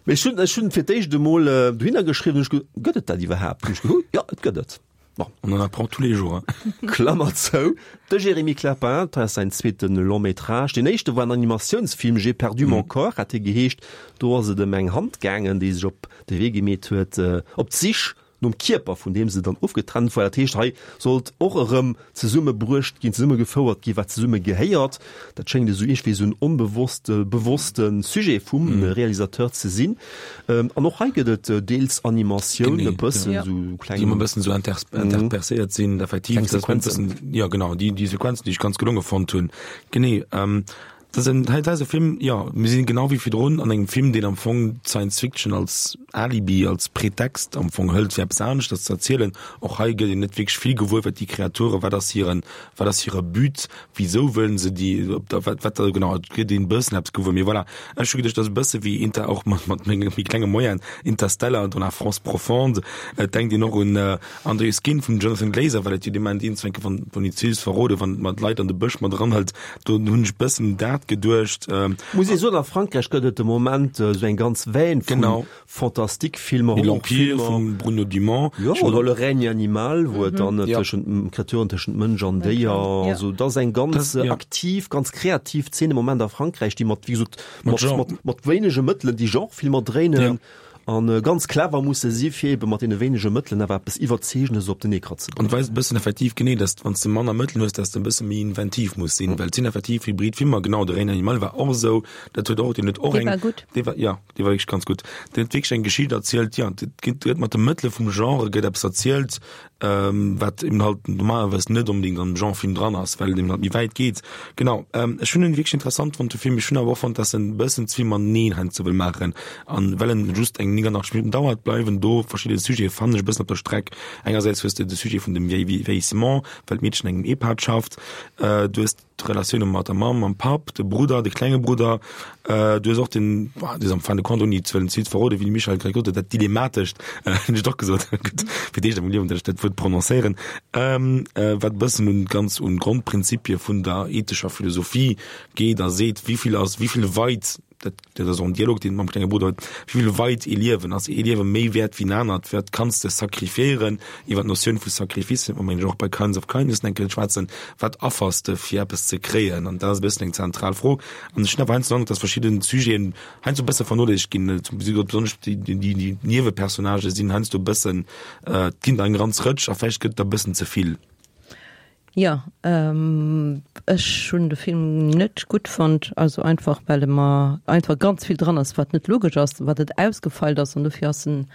Mee ech hunn, ech hunn fir d'éischt emol dohinner geschriwwen, hunn ech ge, gëtt et dat iwwerhaapt? Hunn ech ge, jo, et gëtt et. Bon. On en apprend tous les jours, hein. Klammer zou. De Jérémy Clapin, dat ass säin zweete Long-métrage. Deen éischte war en Animatiounsfilm, J'ai perdu mon corps hat dee geheescht. Do ass et ëm eng Hand gaangen, déi sech op de Wee gemeet huet, op d'Sich nom Kierper, vun deem se dann ofgetrennt war. Dat heescht, hei sollt och erëm zesummebruecht ginn, zesummegefouert ginn, wat zesumme gehéiert. Dat schéngt esou iergendwéi esou en onbewosste, bewosste Sujet vum Realisateur ze sinn. An och hei gëtt et deels Animatioun, e bëssen esou kleng. Déi ëmmer e bëssen esou interpercéiert sinn, effektiv. Kleng Sequenzen. Jo, genau, déi, déi Sequenzen, déi ech ganz gelonge fonnt hunn. Genee. Dat ass en, hei ass e Film, jo, mir sinn genau wéi virdrun an engem Film, deen am Fong Science Fiction als Alibi, als Pretext am Fong hëlt, fir eppes aneschters ze erzielen. Och hei gëtt een net wierklech vill gewuer, wat déi Kreature, wat ass hiren, wat ass hire But, wisou wëllen se déi, op der, wat, wat da genau, et gëtt een e bëssen eppes gewuer. Mee voilà, ech hu geduecht, dat ass e bësse wéi Inter, och mat, mat menge méi klenge Moyenen, Interstellar dans la France profonde. Et denkt een och un Under Your Skin vum Jonathan Glazer, well et jo dee Moment iergendwann, wann, wann een ze verroden, wann man d'Leit an de Bësch mat eranhëlt, do hunn ech bëssen dat geduecht. Muss ee soen, a Frankräich gëtt et de Moment esou eng ganz Veine vu Fantastique-Filmer, Horrorfilmer. L'Empire vum Bruno Dumont. Jo, oder Le règne animal, wou et dann tëschent Kreaturen, tëschent Mënsch an Déier, also dat ass eng ganz aktiv, ganz kreativ Zeen de Moment a Frankräich, déi mat, wéi gesot, mat wéinege Mëttelen déi Genre-Filmer dréinen. An ganz clever musse si fir ebe mat deene wéinege Mëttelen awer eppes Iwwerzeegendes op den Ecran ze bréngen. An weist e bëssen effektiv genee, dass wann s de manner Mëttelen hues, dass de e bësse méi inventiv muss sinn, well et sinn effektiv hybrid Filmer. Genau, de Règne animal war och esou, dat huet och, deen huet och eng. Dee war gutt. Dee war, jo, dee war wierklech ganz gutt. Deen huet wierklech eng Geschicht erzielt, jo, et gëtt, gëtt mat de Mëttele vum Genre gëtt eppes erzielt, wat eben halt normalerweis net onbedéngt am Genrefilm dran ass, well et eben halt méi wäit geet. Genau, ech hunn en wierklech interessant fonnt, de Film. Ech hunn awer och fonnt, dass en e bëssen ze vill mateneen heiansdo wëll maachen. An well en just eng neunundachtzeg Minutten dauert, bleiwen do verschidde Sujete, fannen ech, e bëssen op der Streck. Engersäits hues de de Sujet vun dem Vieillissement, well d'Meedchen an engem EHPAD schafft. Du hues d'Relatioune mat der Mamm, mam Papp, de Brudder, de klenge Brudder. Du hues och den, dat ass am fin de compte, ouni ze wëllen ze vill ze verroden, wéi de Michel grad gesot huet, dat Dilemmatescht, hunn ech et och gesot, gutt, fir d'éischt a mengem Liewen, datt ech dat Wuert prononcéieren, wat e bëssen un ganz un d'Grondprinzipie vun der ethescher Philosophie geet a seet, wéi vill ass, wéi vill weit, dat dat ass och en Dialog, deen e mam klenge Brudder huet, wéi vill weit ee Liewen, ass ee Liewe méi wäert wéi en anert, wat kanns de sacrifiéieren, iwwer d'Notioun vu Sacrifice wäerte mer mengen ech och bei Kinds of Kindness eng Kéier schwätzen, wat affers de fir eppes ze kréien, an dat ass e bëssen eng zentral Fro. An ech hunn awer heiansdo den Androck, datt verschidde Sujeten heiansdo e bësse vernoléissegt ginn, zum Beispill besonnesch déi déi Niewepersonnagë sinn heiansdo e bëssen, et ginn der eng ganz Rëtsch a vläicht gëtt et der e bëssen ze vill. Jo, ech hunn de Film net gutt fonnt, also einfach well e mer einfach ganz vill dran ass, wat net logesch ass, wat net ausgefeilt ass an dofir ass en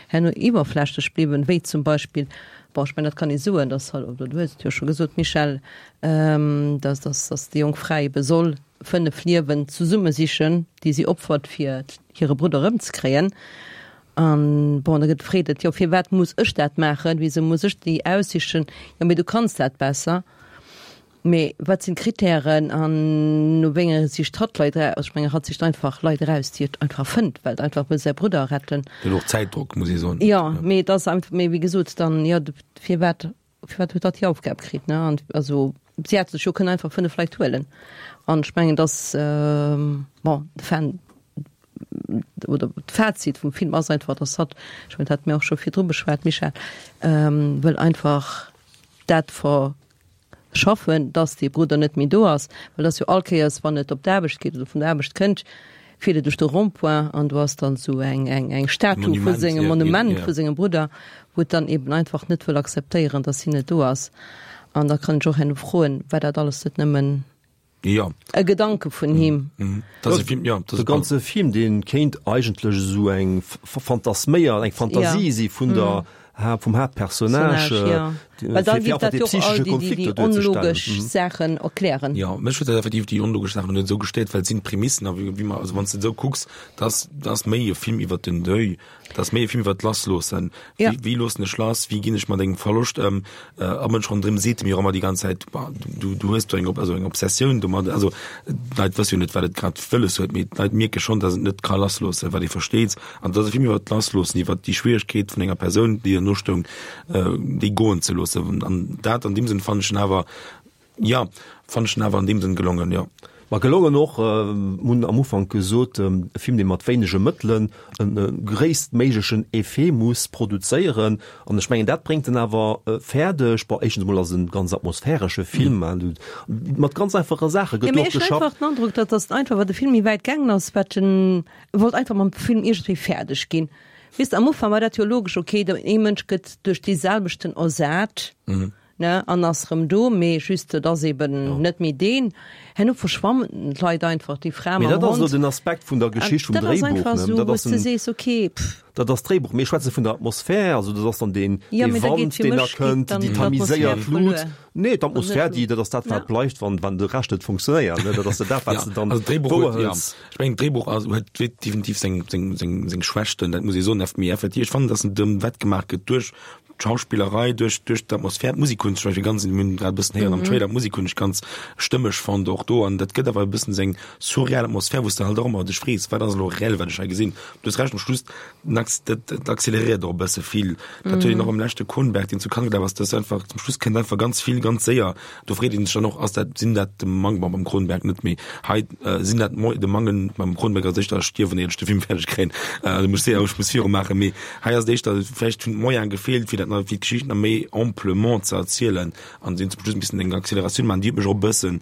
herno iwwerflächlech bliwwen, wéi zum Beispill, bon, ech mengen dat kann ee soen, dass halt, oder du hues et jo scho gesot Michèle, dass dass dass déi jonk Fra ebe soll fënnef Liewen zesumme sichen, déi si opfert fir hire Brudder erëmzekréien. An bon, da gëtt freet et, jo firwat muss ech dat maachen, wisou muss ech déi aussichen, jo mee du kanns dat besser. Mee wat sinn d'Kritären an no wéi enge sicht hatt Leit eraus? Ech mengen, hatt sicht einfach Leit eraus, déi et einfach fënnt, well et einfach wëll säi Brudder retten. Huet och Zäitdrock, muss ee soen. Jo, mee et ass einfach, mee wéi gesot, dann, jo, firwat, firwat huet hatt déi Aufgab kritt, ne? An also si hätt sech jo kënnen einfach fënnef Leit huelen. An ech mengen, dass, bon, de Fan, oder d'Fazit vum Film ass einfach, dass hatt, ech mengen, dat hate mir och scho virdru beschwat, Michèle, wëll einfach dat verschaffen, dass dee Brudder net méi do ass, well dass jo all Kéiers, wann et op d'Aarbecht geet oder vun der Aarbecht kënnt, fiert et duerch de Rond-point an do ass dann esou eng, eng, eng Statu vu sengem, Monument vu sengem Brudder, wou et dann eben einfach net wëll akzeptéieren, dass hien net do ass. An da kann ech och herno froen, war dat alles net nëmmen Ja. E Gedanke vun him. Mhm. Das ist Film, ja, das de ganze Film den kéint eigentlech esou eng fantasméier eng Fantasie ja. si vun der mhm. vum Haaptpersonnage ja. Well da fir géif einfach dat dee jo och all psychesche déi, déi, Konflikt déi do duerzestellen. onlogesch Saachen erklären. Jo, mech huet dat effektiv déi onlogesch Saachen net esou gestéiert, well et sinn d'Prämissen a wéi wéi mer, also wann s de et esou kucks, dat ass, dat ass méi e Film iwwert den Deuil, dat ass méi e Film iwwert d'Lassloossen. Ja. Wéi, wéi loossen ech lass, wéi ginn ech mat engem Verloscht ëm? Äh, a Mënsch ronderëm seet mir och ëmmer déi ganz Zäit, bah, du, du hues do eng, also eng Obsessioun domat. Also d'Leit wësse jo net, wat et grad wëlles huet, mee d'Leit mierke schonn, datt et net ka lassloossen, wat ee versteet. An dat ass e Film iwwert d'Lassloossen, iwwert déi Schwieregkeet vun enger Persoun, déi der nostoung, déi goen ze loossen. An dat an deem Sënn fannen ech en awer, jo, fannen ech en awer an deem Sënn gelongen, jo. Ma gelongen och, mir hunn am Ufank gesot, e Film, dee mat wéinege Mëttelen e gréisstméiglechen Effet muss produzéieren. An ech mengen, dat bréngt en awer fäerdeg. Bon, éischtens emol ass et e ganz atmosphäresche Film, mat ganz einfache Saache Jo, gëtt mee do och ech hunn geschafft. einfach den Androck, datt ass einfach, wat de Film méi wäit gaangen ass, wat en wollt einfach mam Film iergendwéi fäerdeg ginn. Weess de, am Ufank war dat jo logesch, okay, ee Mënsch gëtt duerch dee selwechten ersat, ne, an ass rëm do, mee just et ass eben net méi deen. Herno verschwammen d'Leit einfach, déi Fra Mee mam dat ass elo Hond. den Aspekt vun der An Geschicht, vum dat ass Dréibuch, einfach ne? esou, Dat wou ass s de en, sees, okay, pff. dat ass d'Dréibuch. Mir schwätze vun der Atmosphär, also dat ass dann deen, Jo, dee mee da geet Wand, fir deen da mech geet kënnt, dann déi d'Atmosphär tamiséiert Lut. verluer. Nee, d'Atmosphär, Net déi, dat ass dat, Ja. wat bleift, wann, wann de Rescht net funktionéiert, ne? Dat ass dat, wat Ja, s de dann also d'Dréibuch huet, ja, wouerhëls. ech mengen, d'Dréibuch ass, huet definitiv seng, seng, seng, seng Schwächten, dat muss ee soen, mee effektiv, ech fannen, dass en dem wettgemaach gëtt duerch d'Schauspillerei, duerch, duerch d'Atmosphär, d'Musek hunn ech zum Beispill ganz, mir hunn grad e bëssen héieren am Trailer, d'Musek hunn ech ganz stëmmeg fonnt och do, an dat gëtt awer e bëssen esou eng surreal Atmosphär, wou s de halt och ëmmer dech frees, wat ass elo reell, wat ech hei gesinn. Du hues Recht, am Schluss, den Acc-, dat, dat accélériert och e bësse vill. Dat huet een och am leschte Cronenberg, deen zu Cannes gelaf ass, dass einfach zum Schluss kënnt einfach ganz vill ganz séier. Do freet een sech dann och, ass dat, sinn dat de Mang, bon, beim Cronenberg net, mee hei, sinn dat Mo-, de Mangen, beim Cronenberg ass éischter stierwen, éier ech de Film fäerdeg kréien, also muss séier, ech muss virumaachen, mee hei ass et éischter, vläicht hunn d'Moyene gefeelt, fir dat nach, fir d'Geschicht nach méi amplement ze erzielen an sinn zum Schluss e bëssen eng Acceleratioun maachen, déi huet mech och e bëssen,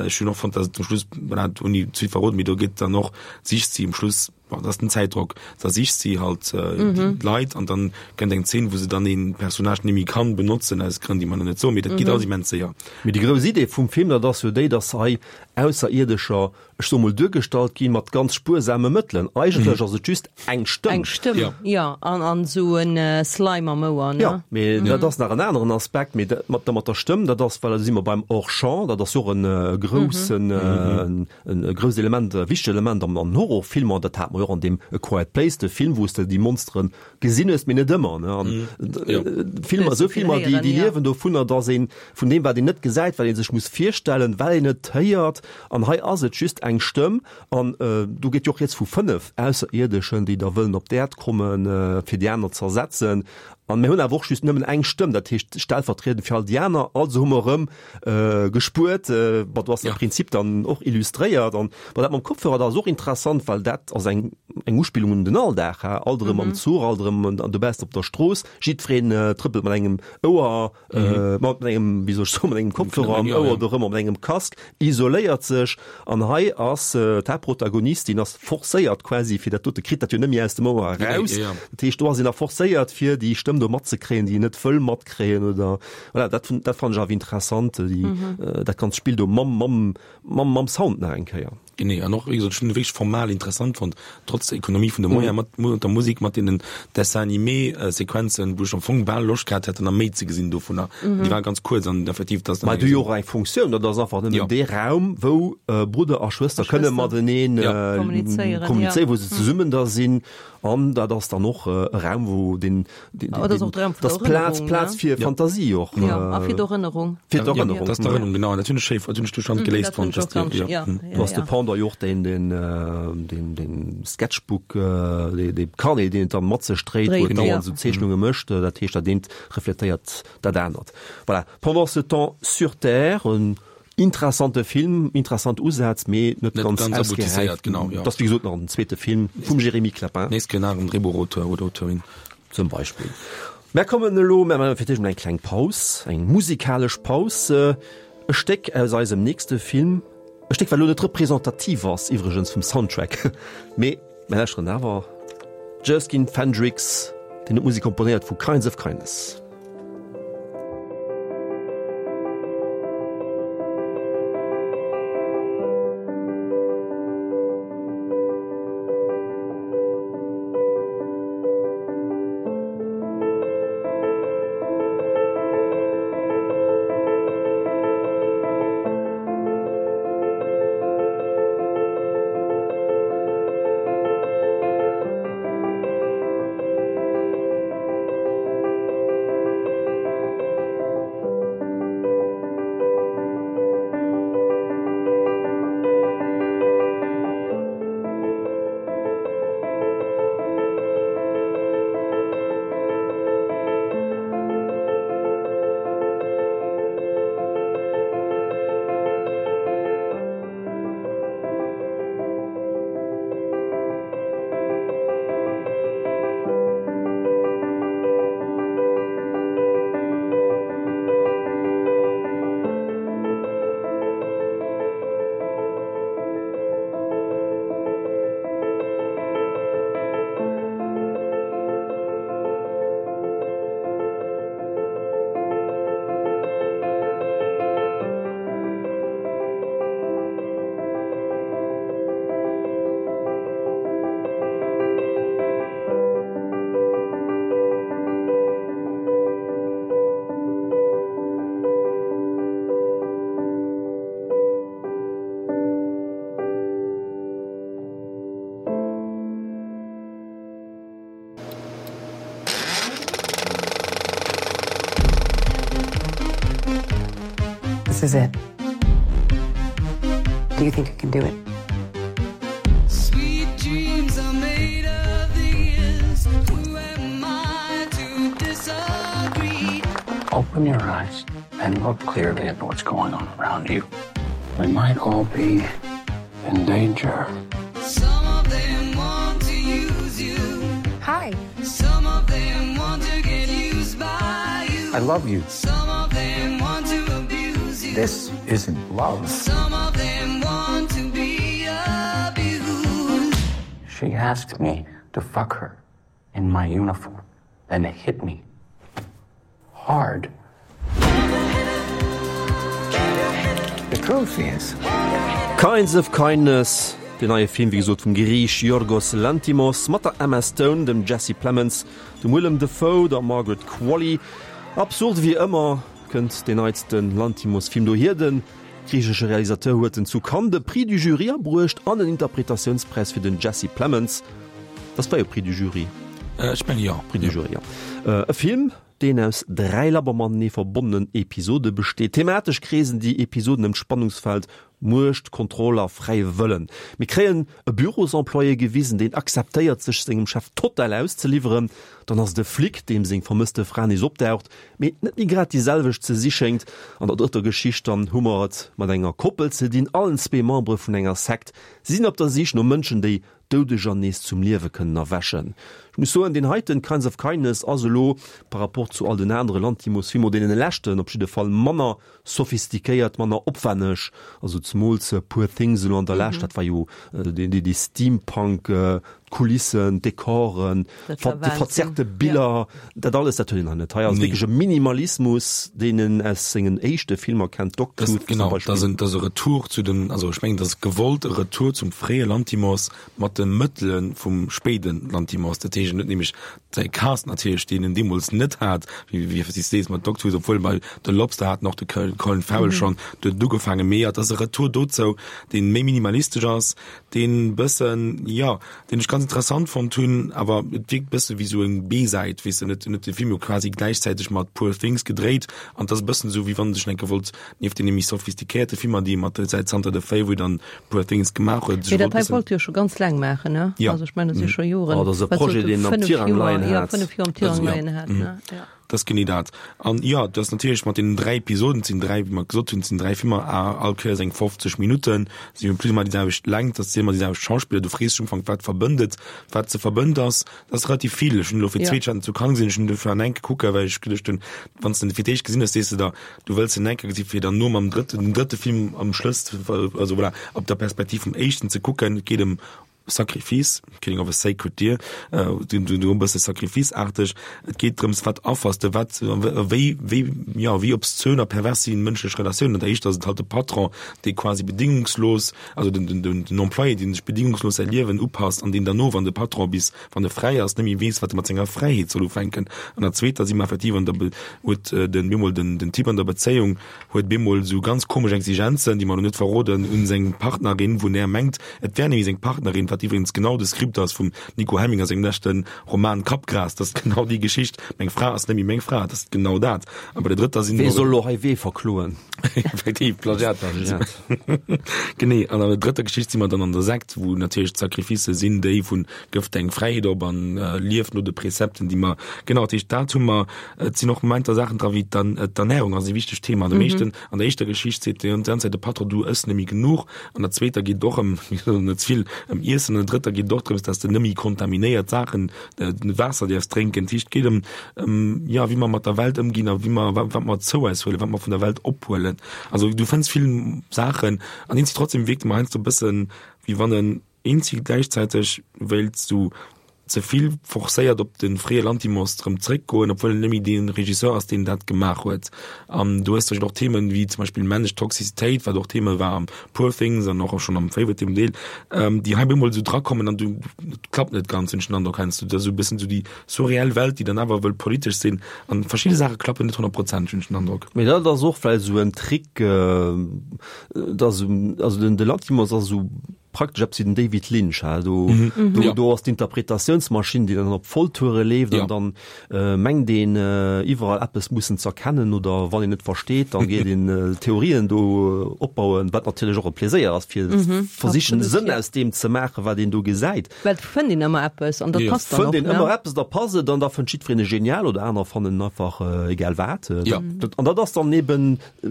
ech hunn och fonnt, dass et zum Schluss, voilà, ouni ze vill verroden, mee do geet dann och, sicht si um Schluss, bon, dat ass den Zäitdrock, da sicht si halt mhm. d'Leit an dann kënnt eng Zeen, wou se dann een Personnage net méi kann benotzen aus Grënn, déi mer nach net soen, mee dat geet alles immens séier. Mee déi grouss Idee vum Film, dat ass jo déi, dass hei Ausserierdescher, ech soe mol, duergestallt ginn mat ganz spuersame Mëttelen. Eigentlech ass et just eng Stëmm. Eng Stëmm, Ja. jo, an, an esou en Slime am Ouer, ne? Jo, mee dat ass nach en aneren Aspekt, mee dat mat der, mat der Stëmm, dat ass, well do si mer beim Hors-champ, dat ass jo och en groussen, en, en grousst Element, e wichtegt Element am, an Horrorfilmer, dat hat mer jo och an deem A Quiet Place, de Film, wou s de déi Monsteren gesinn hues, mee net ëmmer, ne? An Jo. Filmer, esou Hues de vill Filmer, déi, héieren, déi jo. liewen dovunner, dass een vun deem, wat een net gesäit, wat ee sech muss virstellen, well een et héiert, an hei ass et just eng Stëmm, an do geet jo och rieds vu fënnef Ausserierdeschen, déi da wëllen op d'Äerd kommen, fir déi aner ze ersetzen, an mir hunn awer och just nëmmen eng Stëmm, dat heescht stellvertriedend fir all déi aner, also hu mer erëm gespuert, bon, do ass de Prinzip dann och illustréiert. An bon, dat mam Kopfhörer, dat ass och interessant, well dat ass eng eng Uspillung un den Alldag, ha, alt erëm am Zuch, alt erëm dobaussen op der Strooss, jiddwereen trëppelt mat engem Ouer, mat engem, wéi soll ech soen, mat engem Kopfhörer am Ouer dorëmmer, mat engem Casque, isoléiert sech. An hei ass d'Haaptprotagonistin ass forcéiert quasi fir dat dote, kritt dat jo net méi aus dem Ouer eraus. Dat heescht, do ass een da forcéiert fir déi Stëmm do matzekréien, déi een net wëll matkréien oder voilà, dat, dat fannen ech awer interessant, déi, dat ganzt Spill do mam, mam, mam, mam Sound nach eng Kéier. Genee, an och, wéi gesot, ech hunn e wierklech formal interessant fonnt, trotz der Ekonomie vun de Moyenen, mat, mat der Musek, mat deenen Dessin-animé-Sequenzen, wou ech am Fong bal Loscht gehat hätt, nach méi ze gesinn dovunner. Déi war ganz kuerz an effektiv, dass Mä déi jo och eng Funktioun, dat ass einfach nëmmen dee Raum, wou Brudder a Schwëster kënne matenee Kommunizéieren, kommunizéieren, wou se zesummen da sinn. An dat ass dann och e Raum, wou deen, deen, Oh, dat ass och de Raum vun dat ass der Plaz, Erënnerung, Plaz ne? fir Fantasie och. Jo, a fir d'Erënnerung. Fir d'Erënnerung. Dat ass d'Erënnerung, genau. An dat hunn ech schéi, dat hunn ech du schonn geléist Dat hunn fonnt, ech och dass déi, ganz, jo. ja, Du hast ja, de Pendant jo och deen, deen, deen, deen Sketchbook, dee, dee Carnet, deen et dann mat sech dréit, wou et Dréit, dauernd ja. esou Zeechnunge mécht. Dat heescht, dat eent refletéiert dat anert. Voilà. Pendant ce temps sur Terre, en interessante Film, interessant Usätz, mee net Net ganz ganz ausgeräift. aboutisséiert, genau, ja. Dat ass wéi gesot nach en zweete Film vum Jérémy Clapin. Nächst Kéier nach en Drehbuchauteur oder Auteurin. Zum Beispill. Mär kommen elo, mär maachen fir d'éischt emol eng kleng Paus, eng musikalesch Paus, e Stéck aus eisem nächste Film, e Stéck wat elo net representativ ass iwwregens vum Soundtrack, mee mär lauschteren awer, Jerskin Fendrix, deen huet d'Musek komponéiert vu Kinds of Kindness. This is it. Do you think you can do it? Sweet dreams are made of these. Who am I to disagree? Open your eyes and look clearly at what's going on around you. We might all be in danger. Some of them want to use you. Hi. Some of them want to get used by you. I love you. Some of them want to abuse you. This isn't love. Some of them want to be abused. She asked me to fuck her in my uniform, then hit me hard. The truth is Kinds of Kindness, deen neie Film wéi gesot vum Griich Yorgos Lanthimos mat der Emma Stone, dem Jesse Plemons, dem Willem Dafoe, der Margaret Qualley. Absurd wéi ëmmer kënnt deen neitste Lanthimos-Film dohier. De griichesche Realisateur huet en zu Cannes de Prix du Jury abruecht an en Interpretatiounspräis fir den Jesse Plemons. Dat war jo Prix du Jury. Ech menge jo. Prix du Jury, jo. E Film, deen aus dräi labber matenee verbonnenen Episode besteet. Thematesch kreesen déi Episoden ëm d'Spannungsfeld Muecht, Kontroll a fräie Wëllen. Mir kréien e Bürosemployé gewisen, deen akzeptéiert, sech sengem Chef total auszeliwweren. Dann ass et e Flic, deem seng vermësste Fra nees opdaucht, mee net méi grad déi selwecht ze si schéngt. An der drëtter Geschicht dann hu mer et mat enger Koppel ze dinn, allen zwee Membere vun enger Sekt. Si sinn op der Sich no Mënschen, déi Doudeger nees zum Liewe kënnen erwächen. Ech muss soen, deen heiten Kinds of Kindness ass elo par rapport zu all den anere Lanthimos-Filmer, deene leschten op jidde Fall, manner sophistiquéiert, manner opwenneg. Also zemools Poor Things elo an der Lescht, dat war jo dee Steampunk, d'Kulissen, d'Dekoren, déi verzerrte Biller, dat alles, dat huet een hei net. Hei ass wierklech e Minimalismus, deen een aus sengen éischte Filmer kennt, Dogtooth zum Beispill. Genau, dat ass e Retour zu den, also ech mengen, dat ass gewollt e Retour zum fréie Lanthimos mat de Mëttele vum spéide Lanthimos. Dat heescht, en huet nämlech säi Cast natierlech, deen en deemools net hat, wéi wéi s de sees mat Dogtooth, obwuel bei The Lobster hat en och de Colin Farrell schonn, do huet et ugefaangen. Mee jo, et ass e Retour dozou, dee méi minimalistesch ass, deen bëssen, jo, deen ech ganz interessant fonnt hunn, awer et wierkt bësse wéi sou eng B-Säit, weess de, net, en huet de Film jo quasi gläichzäiteg mat Poor Things gedréit an et ass e bëssen esou, wéi wann en sech enke wollt nieft deene méi sophistiquéierte Filmer, déi e mat säit zanter The Favourite an Poor Things gemaach huet, Mee sech dat wollt hei bëssen. wollt e jo scho ganz laang maachen, ne? Ja. Also ech mengen, dat si scho Joren, Oh, dat ass e wat Projet, sollt e deen am fënnef Tirang Joer, leien jo, hat. fënnef Joer am Dat Tirang ass, ja, leien hat, mhm. ne? Ja. Dat ass genee dat. An jo, dat ass natierlech mat deenen dräi Episoden, et sinn dräi, wéi mer gesot hunn, et sinn dräi Filmer, a all Kéiers eng fofzeg Minutten, si hu plus ou moins déi selwecht Längt, dat sinn ëmmer déi selwecht Schauspiller. Du frees dech am Ufank, wat verbënnt et, wat ze verbënnt ass. Dat ass relativ vill. Ech hunn elo fir d'zweet schonn zu Cannes gesinn, ech hunn dofir an enke kucken, well ech geduecht hunn, wann s de en fir d'éischt gesinn hues, sees de der, du wëlls en enke gesi fir dann no mam drëtten, den drëtte Film am Schlëss, also voilà, op der Perspektiv vum éischten ze kucken. Et geet ëm Sacrifice, Killing of a Sacred Deer, du du e bësse Sacrifice-aarteg. Et geet drëms, wat affers de, wat, wéi, wéi, jo, wéi obszön a pervers sinn mënschlech Relatiounen. An der éischter ass et halt de Patron, dee quasi bedingungslos, also den, den, den, den Employé, dee sech bedingungslos säi Liewen upasst an deen derno, wann de Patron bis, wann e fräi ass, net méi weess, wat e mat senger Fräiheet soll ufänken. An der zweeter si mer effektiv an der Be, huet den, bemol den, den Typ an der Bezéiung huet bemol esou ganz komesch Exigenzen, déi mer elo net verroden, un seng Partnerin, wou en mengt, et wär nämlech seng Partnerin, wat iwwregens genau de Skript ass vum Nico Hemminger sengem leschte Roman Kappgras, dat ass genau déi Geschicht, meng Fra ass net méi meng Fra, dat ass genau dat. A bei der drëtter sinn Wee soll elo hei wee verkloen? Effektiv, Plagiat. Plagiat. Genee, an an der drëtter Geschicht si mer dann an der Sekt, wou natierlech d'Sacrificë sinn déi vun gëff deng Fräiheet op an lief no de Prezepten, déi mer, genau, dat heescht, dat hu mer. Et sinn och Momenter Saachen dra wéi d'Ernärung ass e wichtegt Thema. An dem éischten, an der éischter Geschicht seet déi ganze Zäit de Patron, du ëss net méi genuch. An der zweeter geet et och ëm, net ze vill, ëm Iessen. An der drëtter geet et och drëms, dass de net méi kontaminéiert Saachen, Waasser däerfs drénken. Dat heescht, et geet ëm, ëm, jo, wéi mer mat der Welt ëmginn a wéi mer, wat, wat mer zou eis huelen, wat mer vun der Welt ophuelen. Also du fënns vill Saachen an eenzeg trotzdem wierkt e mer heiansdo e bëssen, wéi wann en eenzeg gläichzäiteg wéilt sou ze vill forcéiert op de fréie Lanthimos erëm zréckgoen, obwuel en net méi dee Regisseur ass, deen dat gemaach huet. An du hues och Themen wéi zum Beispill männlech Toxicitéit, wat och Thema war am Poor Things an och schonn am Favourite dem Deel, déi hei bemol esou drakommen an du et klappt net ganz, hunn ech den Androck heiansdo. Dat ass esou e bëssen esou déi surreal Welt, déi dann awer wëll politesch sinn an verschidde Saache klappen net honnertprozenteg, hunn ech den Androck. Mee dat ass och vläicht esou en Trick, dass, also den de Lanthimos ass esou praktesch eppes wéi den David Lynch, ha, do, Mhm. do, Ja. do ass d'Interpretatiounsmaschinn, déi dann op Volltoure leeft Ja. an dann äh, mengt een äh, iwwerall eppes mussen z'erkennen oder wann een net versteet, dann geet een äh, Theorien do opbauen, wat natierlech och e Pleséier ass fir Mhm, versichen absolut, Sënn ja. aus deem ze maachen, wat een do gesäit. Well et fënnt een ëmmer eppes an dat Ja. passt dann Fënnt och, een ne? ëmmer eppes, da passt et an da fënnt jiddwereen et genial oder aner fannen einfach äh, egal wat. Äh, Ja. dat, an dat ass dann eben äh,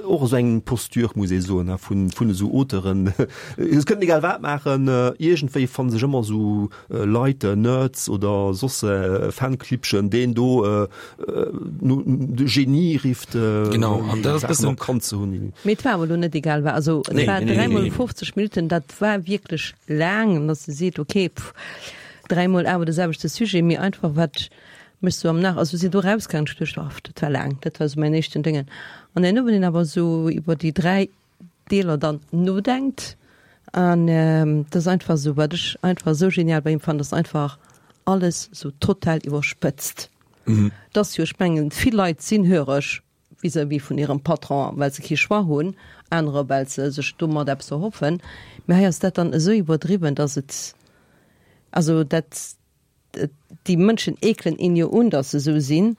och esou eng Posture, muss ee soen, ne, vun, vun esou Auteuren. Et kënnen egal wat maachen, äh, iergendwéi fanne sech ëmmer esou äh, Leit, äh, Nerds oder soss äh, Fanclibbchen, deen do äh, äh, nu, de Genie rifft, äh, Genau, an dat ass Saachen bëssen- erkannt ze hunn. Mee et war awer elo net egal wat, also et Nee, war nee, nee, dräimol nee. fofzeg Minutten, dat war wierklech laang, an dass de seet, okay, pff, dräimol awer de selwechte Sujet, mee einfach wat mech sou am Nach, also sinn do rausgaangen, ech duecht, oh, dat war laang, dat war sou mäin éischten Déngen. An herno, wann een awer sou iwwer déi dräi Deeler dann nodenkt, an ähm, dat ass einfach sou, wat ech einfach sou genial bei him fand, dass einfach alles sou total iwwerspëtzt. Mhm. Dass jo, ech mengen, vill Leit sinn höreg vis-à-vis vun hirem Patron, well se kee Choix hunn, anerer well se sech domat eppes erhoffen. Mee hei ass dat dann esou iwwerdriwwen, dass et, also dat, déi Mënschen eekelen een jo un, dass se esou sinn,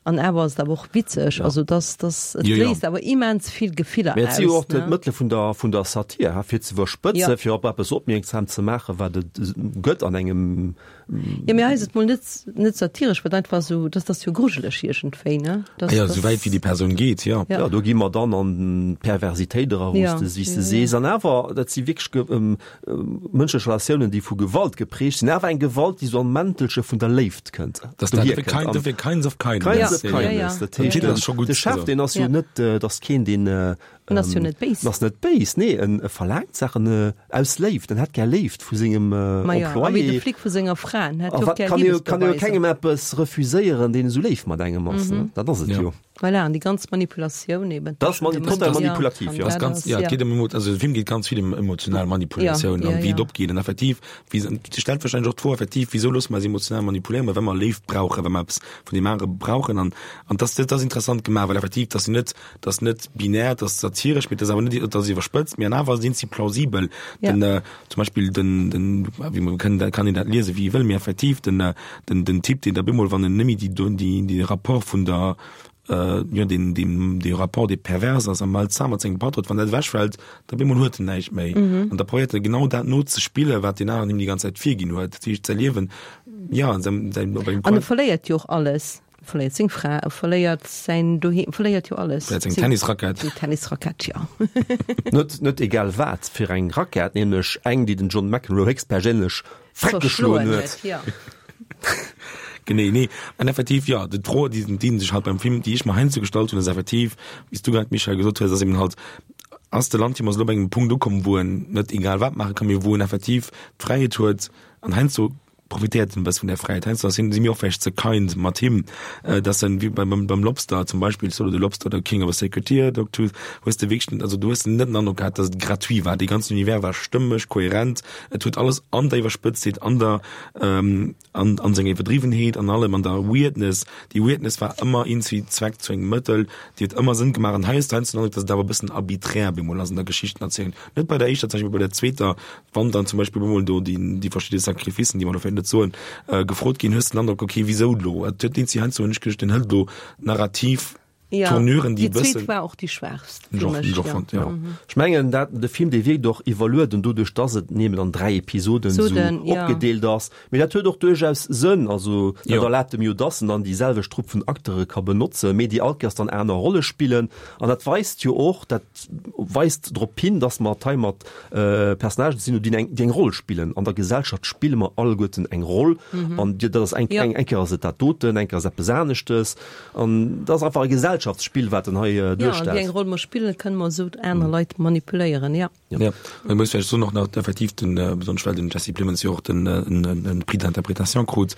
an awer ass et awer och witzeg, also dass, dass, et Jo, jo. léist awer immens vill Gefiller Mee et si jo aus, och ne? d'Mëttele vun der, vun der Satir, ha, fir ze iwwerspëtzen, Ja. fir op eppes opmierksam ze maachen, wat et gëtt an engem Ja, mee hei ass et mol net, net satiresch, wat einfach sou, dass dat jo grujeleg iergendwéi, ne? Das, Ah ja, das, sou wäit wéi déi Persoun geet, ja. Ja. Ja, do gi mer dann an d'Perversitéit era, wou Ja. s de wéi s de Ja, sees. An awer, dat si wierklech ge, ähm, ähm, mënschlech Relatiounen, déi vu Gewalt geprägt sinn, awer eng Gewalt, déi sou am Mäntelche vun der Léift kënnt. Das Dohier dat kënnt. kind, An dofir Kinds of Kindness. Kinds of Ja. Kindness. Ja, ja. Dat heescht, Den Titel ass scho gutt, de Chef, also. deen ass jo Ja. net, äh, dat ass keen, deen, äh, En ass jo net béis. En ass net béis, nee, en e verlaangt Saachen äh, aus Léift, en hätt gär Léift vu sengem äh, Ma ja, a wéi de Employé. Flic vu senger Fra, en hätt A jo och wat gär kann jo, kann jo Liebesbeweise. kengem eppes refuséieren, deen esou léif mat engem ass, ne? Dat ass et Ja. jo. Voilà, an déi ganz Manipulatioun eben. Dat ass mani- total manipulativ, ja. Das Dat ganz, ass, ja, et geet ëm emo- also de Film geet ganz vill ëm emotional Manipulatioun Ja, an ja, wéi ja. et opgeet. An effektiv, wéi se- se stellt wahrscheinlech och d'Fro effektiv, wieso loosse mer eis emotional manipuléieren, well mer Léift brauchen, well mer eppes vun deem anere brauchen. An, an das, dat ass interessant gemaach, well effektiv, dat ass net, dat ass net binär, dat ass satiresch, mee dat ass awer net, dat ass iwwerspëtzt, mee an awer sinn si plausibel. Ja. Den, äh, zum Beispill den, den, wéi man kann, da kann een dat liese wéi ee wëll, mee effektiv den, äh, den, den Typ, deen da bemol, wann en nëmme déi, déi, déi Rapport vun der äh, jo, den, den, de Rapport dee pervers ass am mal zusammen mat sengem Patron, wann dat ewechfält, da bemol huet en näischt méi. Mhm. An da probéiert e genau dat nozespillen, wat deen aneren him déi ganz Zäit virginn huet. Dat heescht, säi Liewen, ja, säin, säin, op engem An e Quant- verléiert jo och alles. E verléiert seng Fra, e verléiert säin Doheem, e verléiert jo alles. Verléiert seng Seng- Tennisrackett. Seng Tennisrackett, ja. Net, net egal wat fir eng Rackett, nämlech eng, déi den John McEnroe héchstperséinlech freckgeschloen Zerschloen huet. huet, ja. Genee, nee. An effektiv, ja, déi Fro, déi, déi sech halt beim Film, déi ech mer heiansdo gestallt hunn, ass effektiv, wéi s du grad, Michel, gesot hues, ass eben halt, ass de Lanthimos elo op engem Punkt ukomm, wou en net egal wat maache kann, mee wou en effektiv d'Fräiheet huet, an heiansdo profitéiert en e bësse vun der Fräiheet. Heiansdo sinn si mir och vläicht ze kind mat him, äh, dass en wéi beim, beim, beim Lobster zum Beispill, Swallow the Lobster oder King of a Sacred Tear, Dogtooth, hues de wierklech, also du hues net den Androck gehat, dass et gratuit war. Dee ganzen Univers war stëmmeg, kohärent, et huet alles an der Iwwerspëtztheet, an der, ähm, an, an senger Iwwerdriwwenheet, an allem, an der Weirdness. Déi Weirdness war ëmmer irgendwie Zweck zu engem Mëttel, déi huet ëmmer Sënn gemaach. An hei hues du heiansdo den Androck, dass et awer e bëssen arbiträr bemol ass an der Geschichtenerzielung. Net bei der éischter, zum Beispill bei der zweeter, wann dann zum Beispill bemol do déi, déi verschidde Sacrificen, déi mer do vläicht net soen, äh, gefrot ginn, hues du den Androck, okay, wieso lo? Et huet irgendwie heiansdo hunn ech geduecht, den hëlt lo narrativ Ja. Tournuren, déi Déi zweet bëssen war och déi schwächst fir Jo, mech, jo, ja. fand, ja. Ech mengen, dat, de Film, dee wierkt och iwwerlueden doduerch, dass et nëmmen an dräi Episoden So sou den, ja. opgedeelt ass. Mee dat huet och duerchaus Sënn, also dat Jo. erlaabt em jo, dass en dann déi selwecht Trupp vun Acteure ka benotzen, mee déi all Kéiers dann aner Rolle spillen. An dat weist jo och, dat weist drop hin, dass mer hei mat, äh, Personnagen sinn, déi eng, déi eng Roll spillen. An der Gesellschaft spille mer alleguerten eng Roll. An dat ass eng, Ja. eng, eng Kéier ass et dat doten, eng Kéier ass eppes aneschtes. An dat ass einfach e Gesellschaftsspill, wat en hei äh, Ja, an wéi duerstellt. eng Roll mer spillen, kënne mer sou aner Leit manipuléieren, ja. Ja. Man muss vläicht sou nach nach effektiv den äh, besonnesch well den Jesse Plemons jo och den äh, en, en, en Prix d'interprétation krut,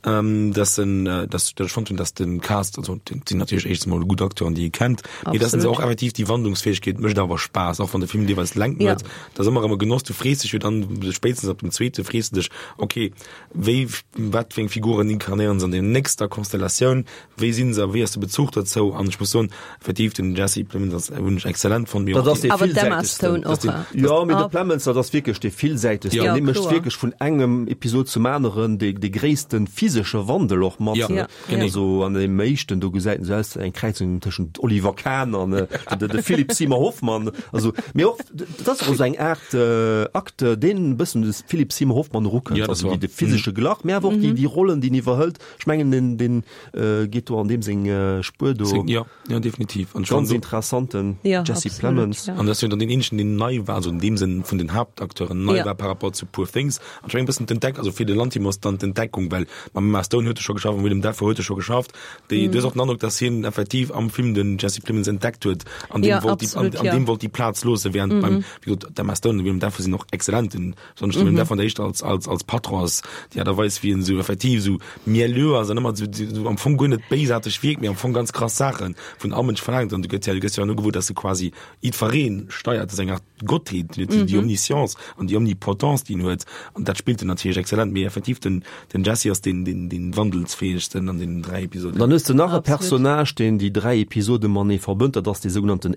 ähm, dass en, äh, dass dass ech fonnt hunn, dass den Cast, also den, sinn natierlech éischtens mol gutt Acteuren, déi ee kennt, mee dass se Absolut. och effektiv déi Wandlungsfäegkeet mécht awer Spaass, och wann de Film deelweis Längt Ja. huet, dat ass ëmmer erëm e Genoss, du frees dech jo dann spéitstens ab dem zweete frees du dech, okay, wéi, wat fir eng Figuren inkarnéieren se an der nächster Konstellatioun, wéi sinn se, wéi ass de Bezuch dozou, an ech muss soen, effektiv den Jesse Plemons ass hunn ech exzellent fonnt, mee Dat och ass déi- dee Awer d'Emma villsäitegsten. Stone Das och, den, Jo, mee de Plemons, dat ass wierklech dee villsäitegsten. Ja. Dee mécht kloer. wierklech vun engem Episod zum aneren dee, dee gréisste physesche Wandel och mat. Ja, ne? genee. Also an deem éischten, do gesäit en esou aus, eng Kräizung tëschent Oliver Kahn an de, de, de Philip Seymour Hoffman. Also, mee och, dat ass och esou eng Aart äh, Acteur, deen e bëssen de Philip Seymour Hoffman erukënnt. Ja, dat also war. déi, de physesche Glach, mee awer och déi, déi Rollen, déi en iwwerhëlt. Ech mengen, den, den äh, geet do an deem seng äh, Spuer do. Seng- Ja, ja, definitiv. An Ganz schon interessanten Ja, Jesse absolut, Plemons. ja. An das jo dann den eenzegen, deen nei war, also in deem Sënn vun den Haaptakteuren nei Ja. war par rapport zu Poor Things. An schon e bëssen d'Entdeck, also fir de Lanthimos dann d'Entdeckung, well mam Emma Stone huet e scho geschafft, Willem Dafoe huet e scho geschafft. Déi, du hues och den Androck, dass hien effektiv am Film den Jesse Plemons entdeckt huet, an dem Ja, wollt die, an, absolut, an ja. dem wollt die Plaz loosse, während beim, wéi gesot, d'Emma Stone und Willem Dafoe sinn och exzellent, den, besonnesch de Willem Dafoe an der éischter als, als, als Patros, déi Aart a Weis, wéi en sou effektiv sou mielleux ass an ëmmer sou, sou am Fong guer net béisaarteg wierkt, mee am Fong ganz krass Saachen vun all Mënsch verlaangt. An du gëtt ja, du gëss ja nur gewuer, dass e quasi jiddwereen steiert, das ist eng Art Gottheet, déi, die Omniscience an déi Omnipotence, déi en huet. An dat spillt en natierlech exzellent, mee effektiv den, den Jesse ass den, den, den wandelsfäegsten an den dräi Episoden. Dann hues de nach e Absolut. Personnage, deen déi dräi Episode matenee verbënnt, dat ass dee sougenannten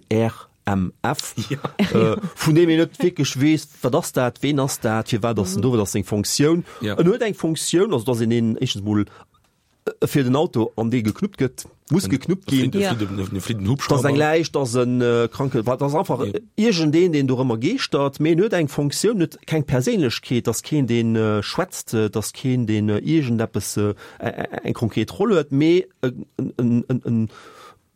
RMF, äh, vun deem een net wierklech weess, wat ass dat, ween ass dat, firwat ass en do, wat ass seng Funktioun. Ja. En huet eng Funktioun, also dass een een éischtens mol äh, fir den Auto an dee geknuppt gëtt, muss geknuppt ginn. Ja. E flitt den Das ass eng Hubschrauber. Läich, das en äh, kranke, wat das einfach Ja. iergendeen, deen dorëmmer geeschtert, mee en huet eng Funktioun, net keng Perséinlechkeet, dass keen deen äh, schwätzt, äh, dass keen deen äh, iergendeppes äh, eng konkret Roll huet, mee äh, en, en, en, en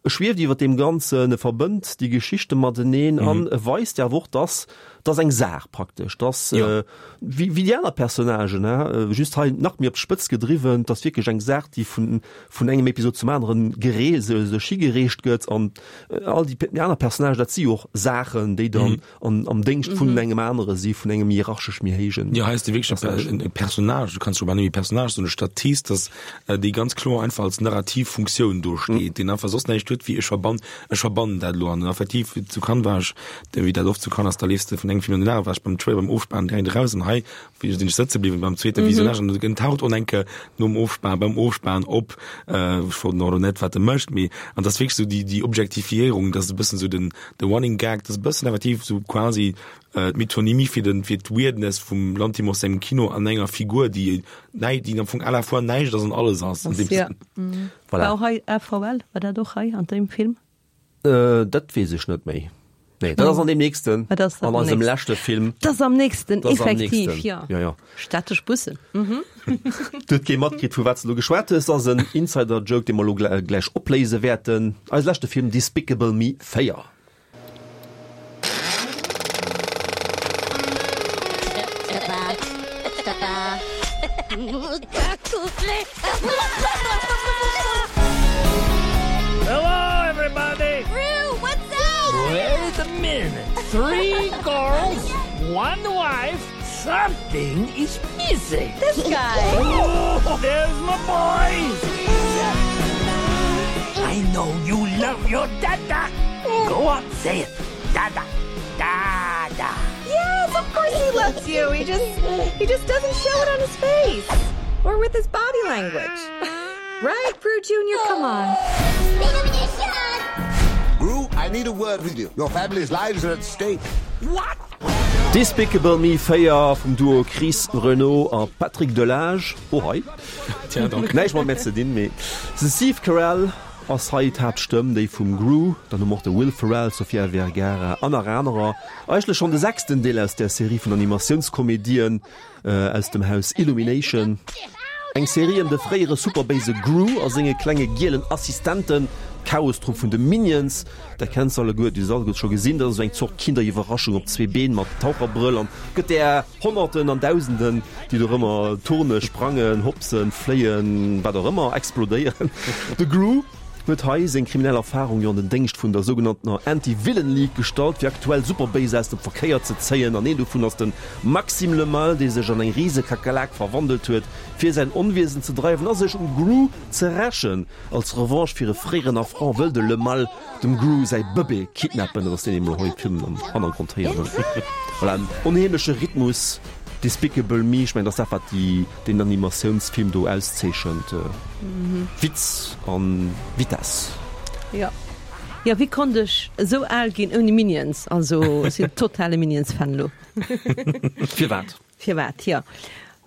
e schwieft iwwer dem Ganzen, e verbënnt déi Geschichte mateneen mhm. an e weist ja och, dass das eng Saach praktesch, dass Ja. äh, wéi, wéi déi aner Personnagen, ne? äh, just hei nach méi op d'Spëtz gedriwwen, dass wierklech eng Saach, déi vun vun engem Episod zum aneren gere sou, sou higereecht gëtt an äh, all déi déi aner Personnagen, dat si och Saachen, déi dann mhm. an, am Déngscht vun engem anere si vun engem hierarchesch méi héijen. Ja, heißt wirklich Personnage. ein Personnage, du kannst schon net Personnage, sou e Statist, dass äh, déi ganz kloer einfach als narrativ Funktioun do steet, mhm. deen einfach soss näischt huet, wéi ech verbann, ech verbannen dat lo an effektiv zu Cannes war ech, der wéi dat oft zu Cannes ass, da leefs de vun engem Film an den aneren, war ech beim Trailer beim Ofspan direkt raus an hei, wéi sinn ech sëtze bliwwen beim zweete mhm. Visionnage an en taucht och enke nom Ofspan, beim Ofspan op, äh, ech wollt nach net wat e mécht, mee an das wierklech sou déi déi Objektifiéierung, das ist e bëssen sou den de Running Gag, das ist e bëssen effektiv sou quasi äh, d'Metonymie fir den fir d'Weirdness vum Lanthimos sengem Kino an enger Figur, déi nei, déi am Fong à la fois näischt ass an alles ass. An dem Ja. Sënn. Voilà. War och hei AVL, war dat och hei an deem Film? Äh, dat weess ech net méi. Nee, dat ass an deem nächsten, Ah, dat ass an am eisem nächsten. leschte Film. Dat ass am nächsten, Dat ass am effektiv, nächsten. ja. Ja, ja. Städtesch Bussen. Mhm. Du huet kee matkritt, vu wat s de lo geschwat hues, ass en Insider-Joke, dee mer lo gläich opléise wäerten. Eise leschte Film Despicable Me véier. Hello, everybody! Gru, what's up? Wait a minute. Three girls, one wife. Something is missing. This guy. Oh, there's my boys. I know you love your dada. Go on, say it. Dada. Dada. Yes, of course he loves you. He just he just doesn't show it on his face or with his body language. Right, Gru Junior, come on. Gru, I need a word with you. Your family's lives are at stake. What? Despicable Me véier vum Duo Chris Renaud a Patrick Delage. Oh hei. Tja, dank. Näischt mat mir ze dinn, mee de Steve Carell ass hei d'Haaptstëmm, déi vum Gru, dann hu mer och de Will Ferrell, Sofia Vergara an nach anerer. Eigentlech schonn de sechsten Deel aus der Serie vun Animatiounskomedien äh, aus dem Haus Illumination. Eng Serie ëm de fréiere superbéise Gru a senge klenge gielen Assistenten, d'Chaostrupp vun de Minions. Dat kenns de alleguer, déi se alleguer scho gesinn, dat ass esou eng Zort Kinderiwwerraschung op zwee Been mat Taucherbrëll an gëtt där Honnerten an Dausenden, déi dorëmmer turnen, sprangen, hopsen, fléien, wat och ëmmer, explodéieren. De Gru huet hei seng kriminell Erfarung jo an den Déngscht vun der sougenanntener Anti-Villain League gestallt, fir aktuell Superbéiser aus dem Verkéier ze zéien. An een dovun ass de Maxime Le Mal, dee sech an eng Risekakerlak verwandelt huet, fir säin Onwiesen ze dreiwen a sech um Gru ze rächen. Als Revanche fir e fréieren Affront wëll de Le Mal dem Gru säi Bëbee kidnappen. Dat ass deen, dee mer hei am Film am Hannergrond héieren. Voilà, en onheemleche Rhythmus. Despicable Me, ech mengen, dat ass dat, wat déi, den Animatiounsfilm do auszeechent. Witz an Vitess. Ja. Jo, wéi konnt ech esou al ginn ouni Minions? Also, ech sinn totale Minions-Fan elo. Firwat? Firwat, jo.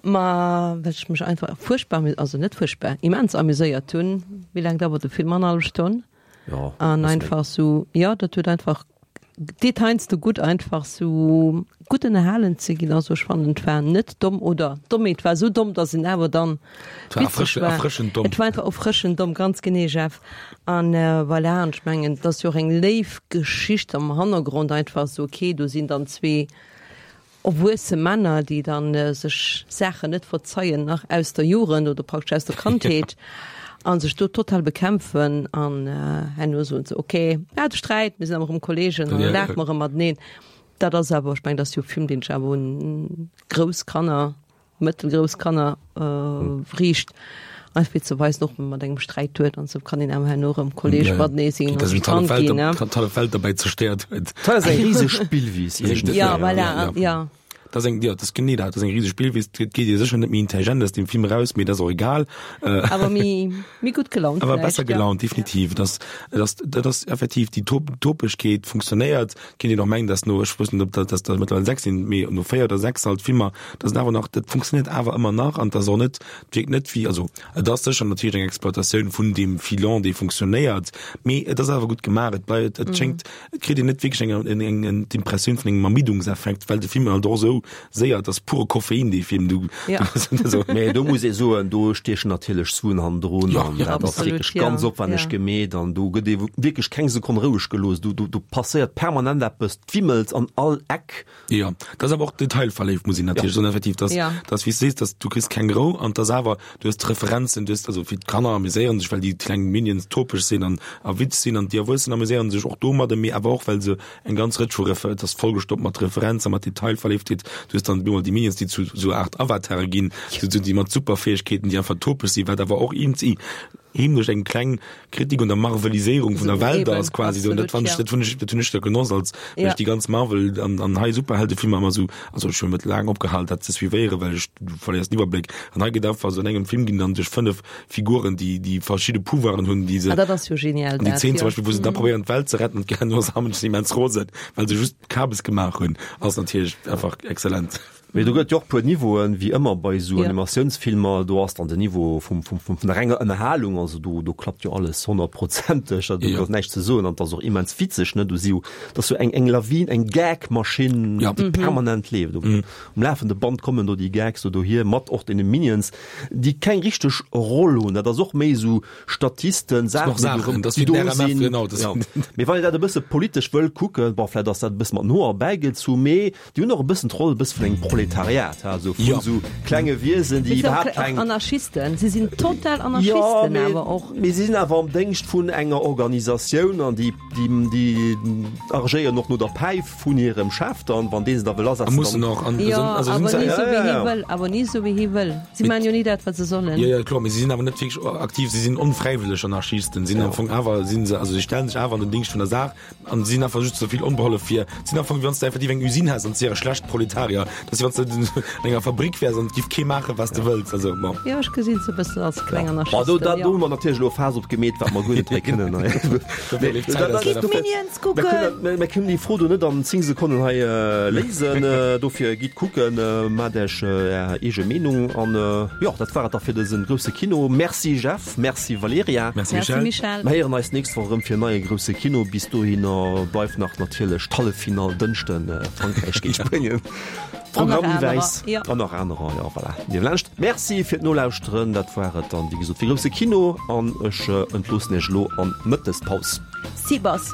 Ma well ech mech einfach fuerchtbar, also net fuerchtbar, immens amuséiert hunn. Wéi laang dauert de Film? Annerhallef Stonn? Jo, An bësse méi. einfach sou, jo, dat huet einfach, deet heiansdo gutt einfach sou gutt ënnerhalen ze ginn. Also ech fannen, et war net domm oder domm, mee et war sou domm, datt en awer dann Et war witzeg erfrësch, war. erfrëschend domm. Et war einfach erfrëschend domm, ganz genee, Jeff. An voilà, an ech mengen, et ass jo och eng léif Geschicht am Hannergrond, einfach sou, okay, do sinn dann zwee erwuesse Männer, déi dann sech Saachen net verzeien, nach aus der Jugend oder praktesch aus der Kandheet, a sech do total bekämpfen an herno soen se, okay, mir hate Sträit, mir sinn awer erëm Kollegen an da laache mer erëm mateneen. Dat ass awer, ech mengen, dat ass jo e Film, deen sech awer un grouss Kanner, mëttelgrouss Kanner riicht, einfach fir ze weisen, och mat engem Sträit huet an sou kann een awer herno erëm Kolleg matenee sinn an sech d'Hand ginn, ne? D'hallef Welt derbäi zerstéiert huet. Dat ass eng riseg Spillwiss iergendwéi. Ja, voilà, ja. Dat ass eng, jo, dat ass genee dat, dat ass eng riseg Spillwiss. Et geet ee sécher net méi intelligent aus deem Film eraus, mee dat ass och egal. Awer méi, méi gutt gelaunt Awer vläicht, besser ja. gelaunt, definitiv. Et ass, et ass, dat ass effektiv, déi Top, Topegkeet funktionéiert. Kéint een och mengen, dass no, ech wëss net, ob dat, dass der mëttlerweil sechs sinn, mee no véier oder sechs halt Filmer, dass et awer nach, dat funktionéiert awer ëmmer nach an dass och net, et wierkt net wéi, also et ass sécher natierlech eng Exploitatioun vun deem Filon, dee funktionéiert, mee et ass awer gutt gemaach. Et bleift, et schéngt, et kritt een net wierklech eng, eng, eng, eng, d'Impressioun vun engem Ermiddungseffekt, well de Film halt och esou séier, et ass pure Koffein, dee Film, du, Ja. du, Mee do muss ee soen, do stiechen natierlech Suen hannendrun Ja, an ja. dat ass Absolut, wierklech ja, ganz opwänneg ja. gemeet an do gëtt ee wierklech keng Sekonn roueg gelooss. Do, do, do passéiert permanent eppes, d'Wimmels an all Eck. Ja, dat ass awer och detailverléift, muss een natierlech soen, effektiv, dass, Ja. dass, wéi s du sees, dass du kriss keng Rou an dass awer, du hues d'Referenzen, du hues, also fir d'Kanner amuséieren sech, well déi kleng Minions topeg sinn an a Witz sinn an déi Erwuessen amuséieren sech och domadder, mee awer och well se eng ganz Rëtsch vu Refer, et ass vollgestoppt mat Referenzen, mat Detailverléiftheet. Du hues dann bemol déi Minions, déi zu sou Aart Avatare ginn, zu, zu, déi mat Superfäegkeeten, déi einfach topeg sinn, wat awer och iergendwéi heemlech eng kleng Kritik un der Marveliséierung vun der So, Welt eben, ass quasi so. Und dat absolut, fand ich, ja. dat hunn ech, dat hunn ech da genoss, als well Ja. ech déi ganz Marvel an, an hei Superheldefilmer ëmmer sou, also ech hunn net laang opgehal dat ze suivéieren, well ech, du verléiers den Iwwerbléck. An hei gëtt einfach sou an engem Film ginn dann duerch fënnef Figuren, déi, déi verschidde Pouvoiren hunn, déi se, Ah, dat ass jo genial, an déi dat, Zeen jo. zum Beispill, wou se da probéieren d'Welt ze retten, an d'Herno sammeln sech immens rosen, well se just Kabes gemaach hunn, ass natierlech einfach exzellent. Mee do gëtt jo och puer Niveauen, wéi ëmmer bei esou Ja. Animatiounsfilmer. Do ass dann den Niveau vum, vum, vum, vun der renger Ënnerhalung, also do, do klappt jo alles honnertprozenteg, also do Ja. ass näischt ze soen an et ass och immens witzeg, ne? Do si jo, dat ass jo eng, eng Lawin, eng Gag-Maschinn, Ja. déi permanent leeft. Um, um lafende Band kommen do déi Gags do dohier, mat och deene Minions, déi keng richteg Roll hunn. Dat ass och méi esou Statisten, Das sind och Saachen, déi do Saachen, rëm, das déi wéi do den R M F, sinn. genau, das Ja. sind- Mee wann een dat e bësse politesch wëll kucken, bon, vläicht ass dat e bësse mat no erbäigezu, mee déi hunn och e bëssen d'Roll e bësse vun engem Proletariat, ha, so vun Ja. so klenge Wiesen, déi Mee se iwwerhaapt och keng Anarchisten, si sinn total Ja, Anarchisten mee, awer och. mee si sinn awer am Déngscht vun enger Organisatioun an déi, déi, déi agéieren och no der Päif vun hirem Chef dann, wann dee se da wëll A asetzen, mussen dann och an, Ja, also awer sind se, ni ja, sou wéi ja, hie ja. wëll, awer ni sou wéi hie wëll. Si Mit- maachen jo ni dat, wat se sollen. Ja, ja, kloer, mee si sinn awer net wierklech aktiv, si sinn onfräiwëlleg Anarchisten, sinn am Fong awer, sinn se, also si stellen sech awer an den Dingscht vun der Saach an sinn einfach just sou vill onbehollef fir, sinn am Fong, wéi wann s de effektiv eng Usine häss an s wiere schlecht Proletarier, dass wann s de an enger Fabrik wäers an et giff kee maachen, wat s de wëlls, also bon. Jo, ech gesinn se e bëssen als kleng Bon, do, Anarchisten, da, do jo. hu mer natierlech elo e Faass opgemeet, wat mer guer net hei kënnen hei. Dofir leeft d'Zäit eis leider Gitt Minions kucken! Mir mir kënnen déi Fro do net an zéng Sekonnen hei äh, léisen. Äh, dofir gitt kucken, äh, maacht Iech äh, Är eege Meenung. An äh, jo, dat war et da fir dësen grousse Kino. Merci Jeff, merci Valerija. Merci Merci Michel. Michel. Mir héieren eis nächst Woch erëm fir en neie grousse Kino. Bis dohinner bleift nach natierlech d'Halleffinall Dënschden, äh, Frankräich géint Spuenien. An nach Programm anerer, wäiss. ja. An nach anerer, ja, voilà. Dir laanscht. Merci fir d'Nolauschteren. Dat war et dann, wéi gesot, fir grousse Kino. An ech äh, entloossen Iech elo an d'Mëttespaus. Sibos.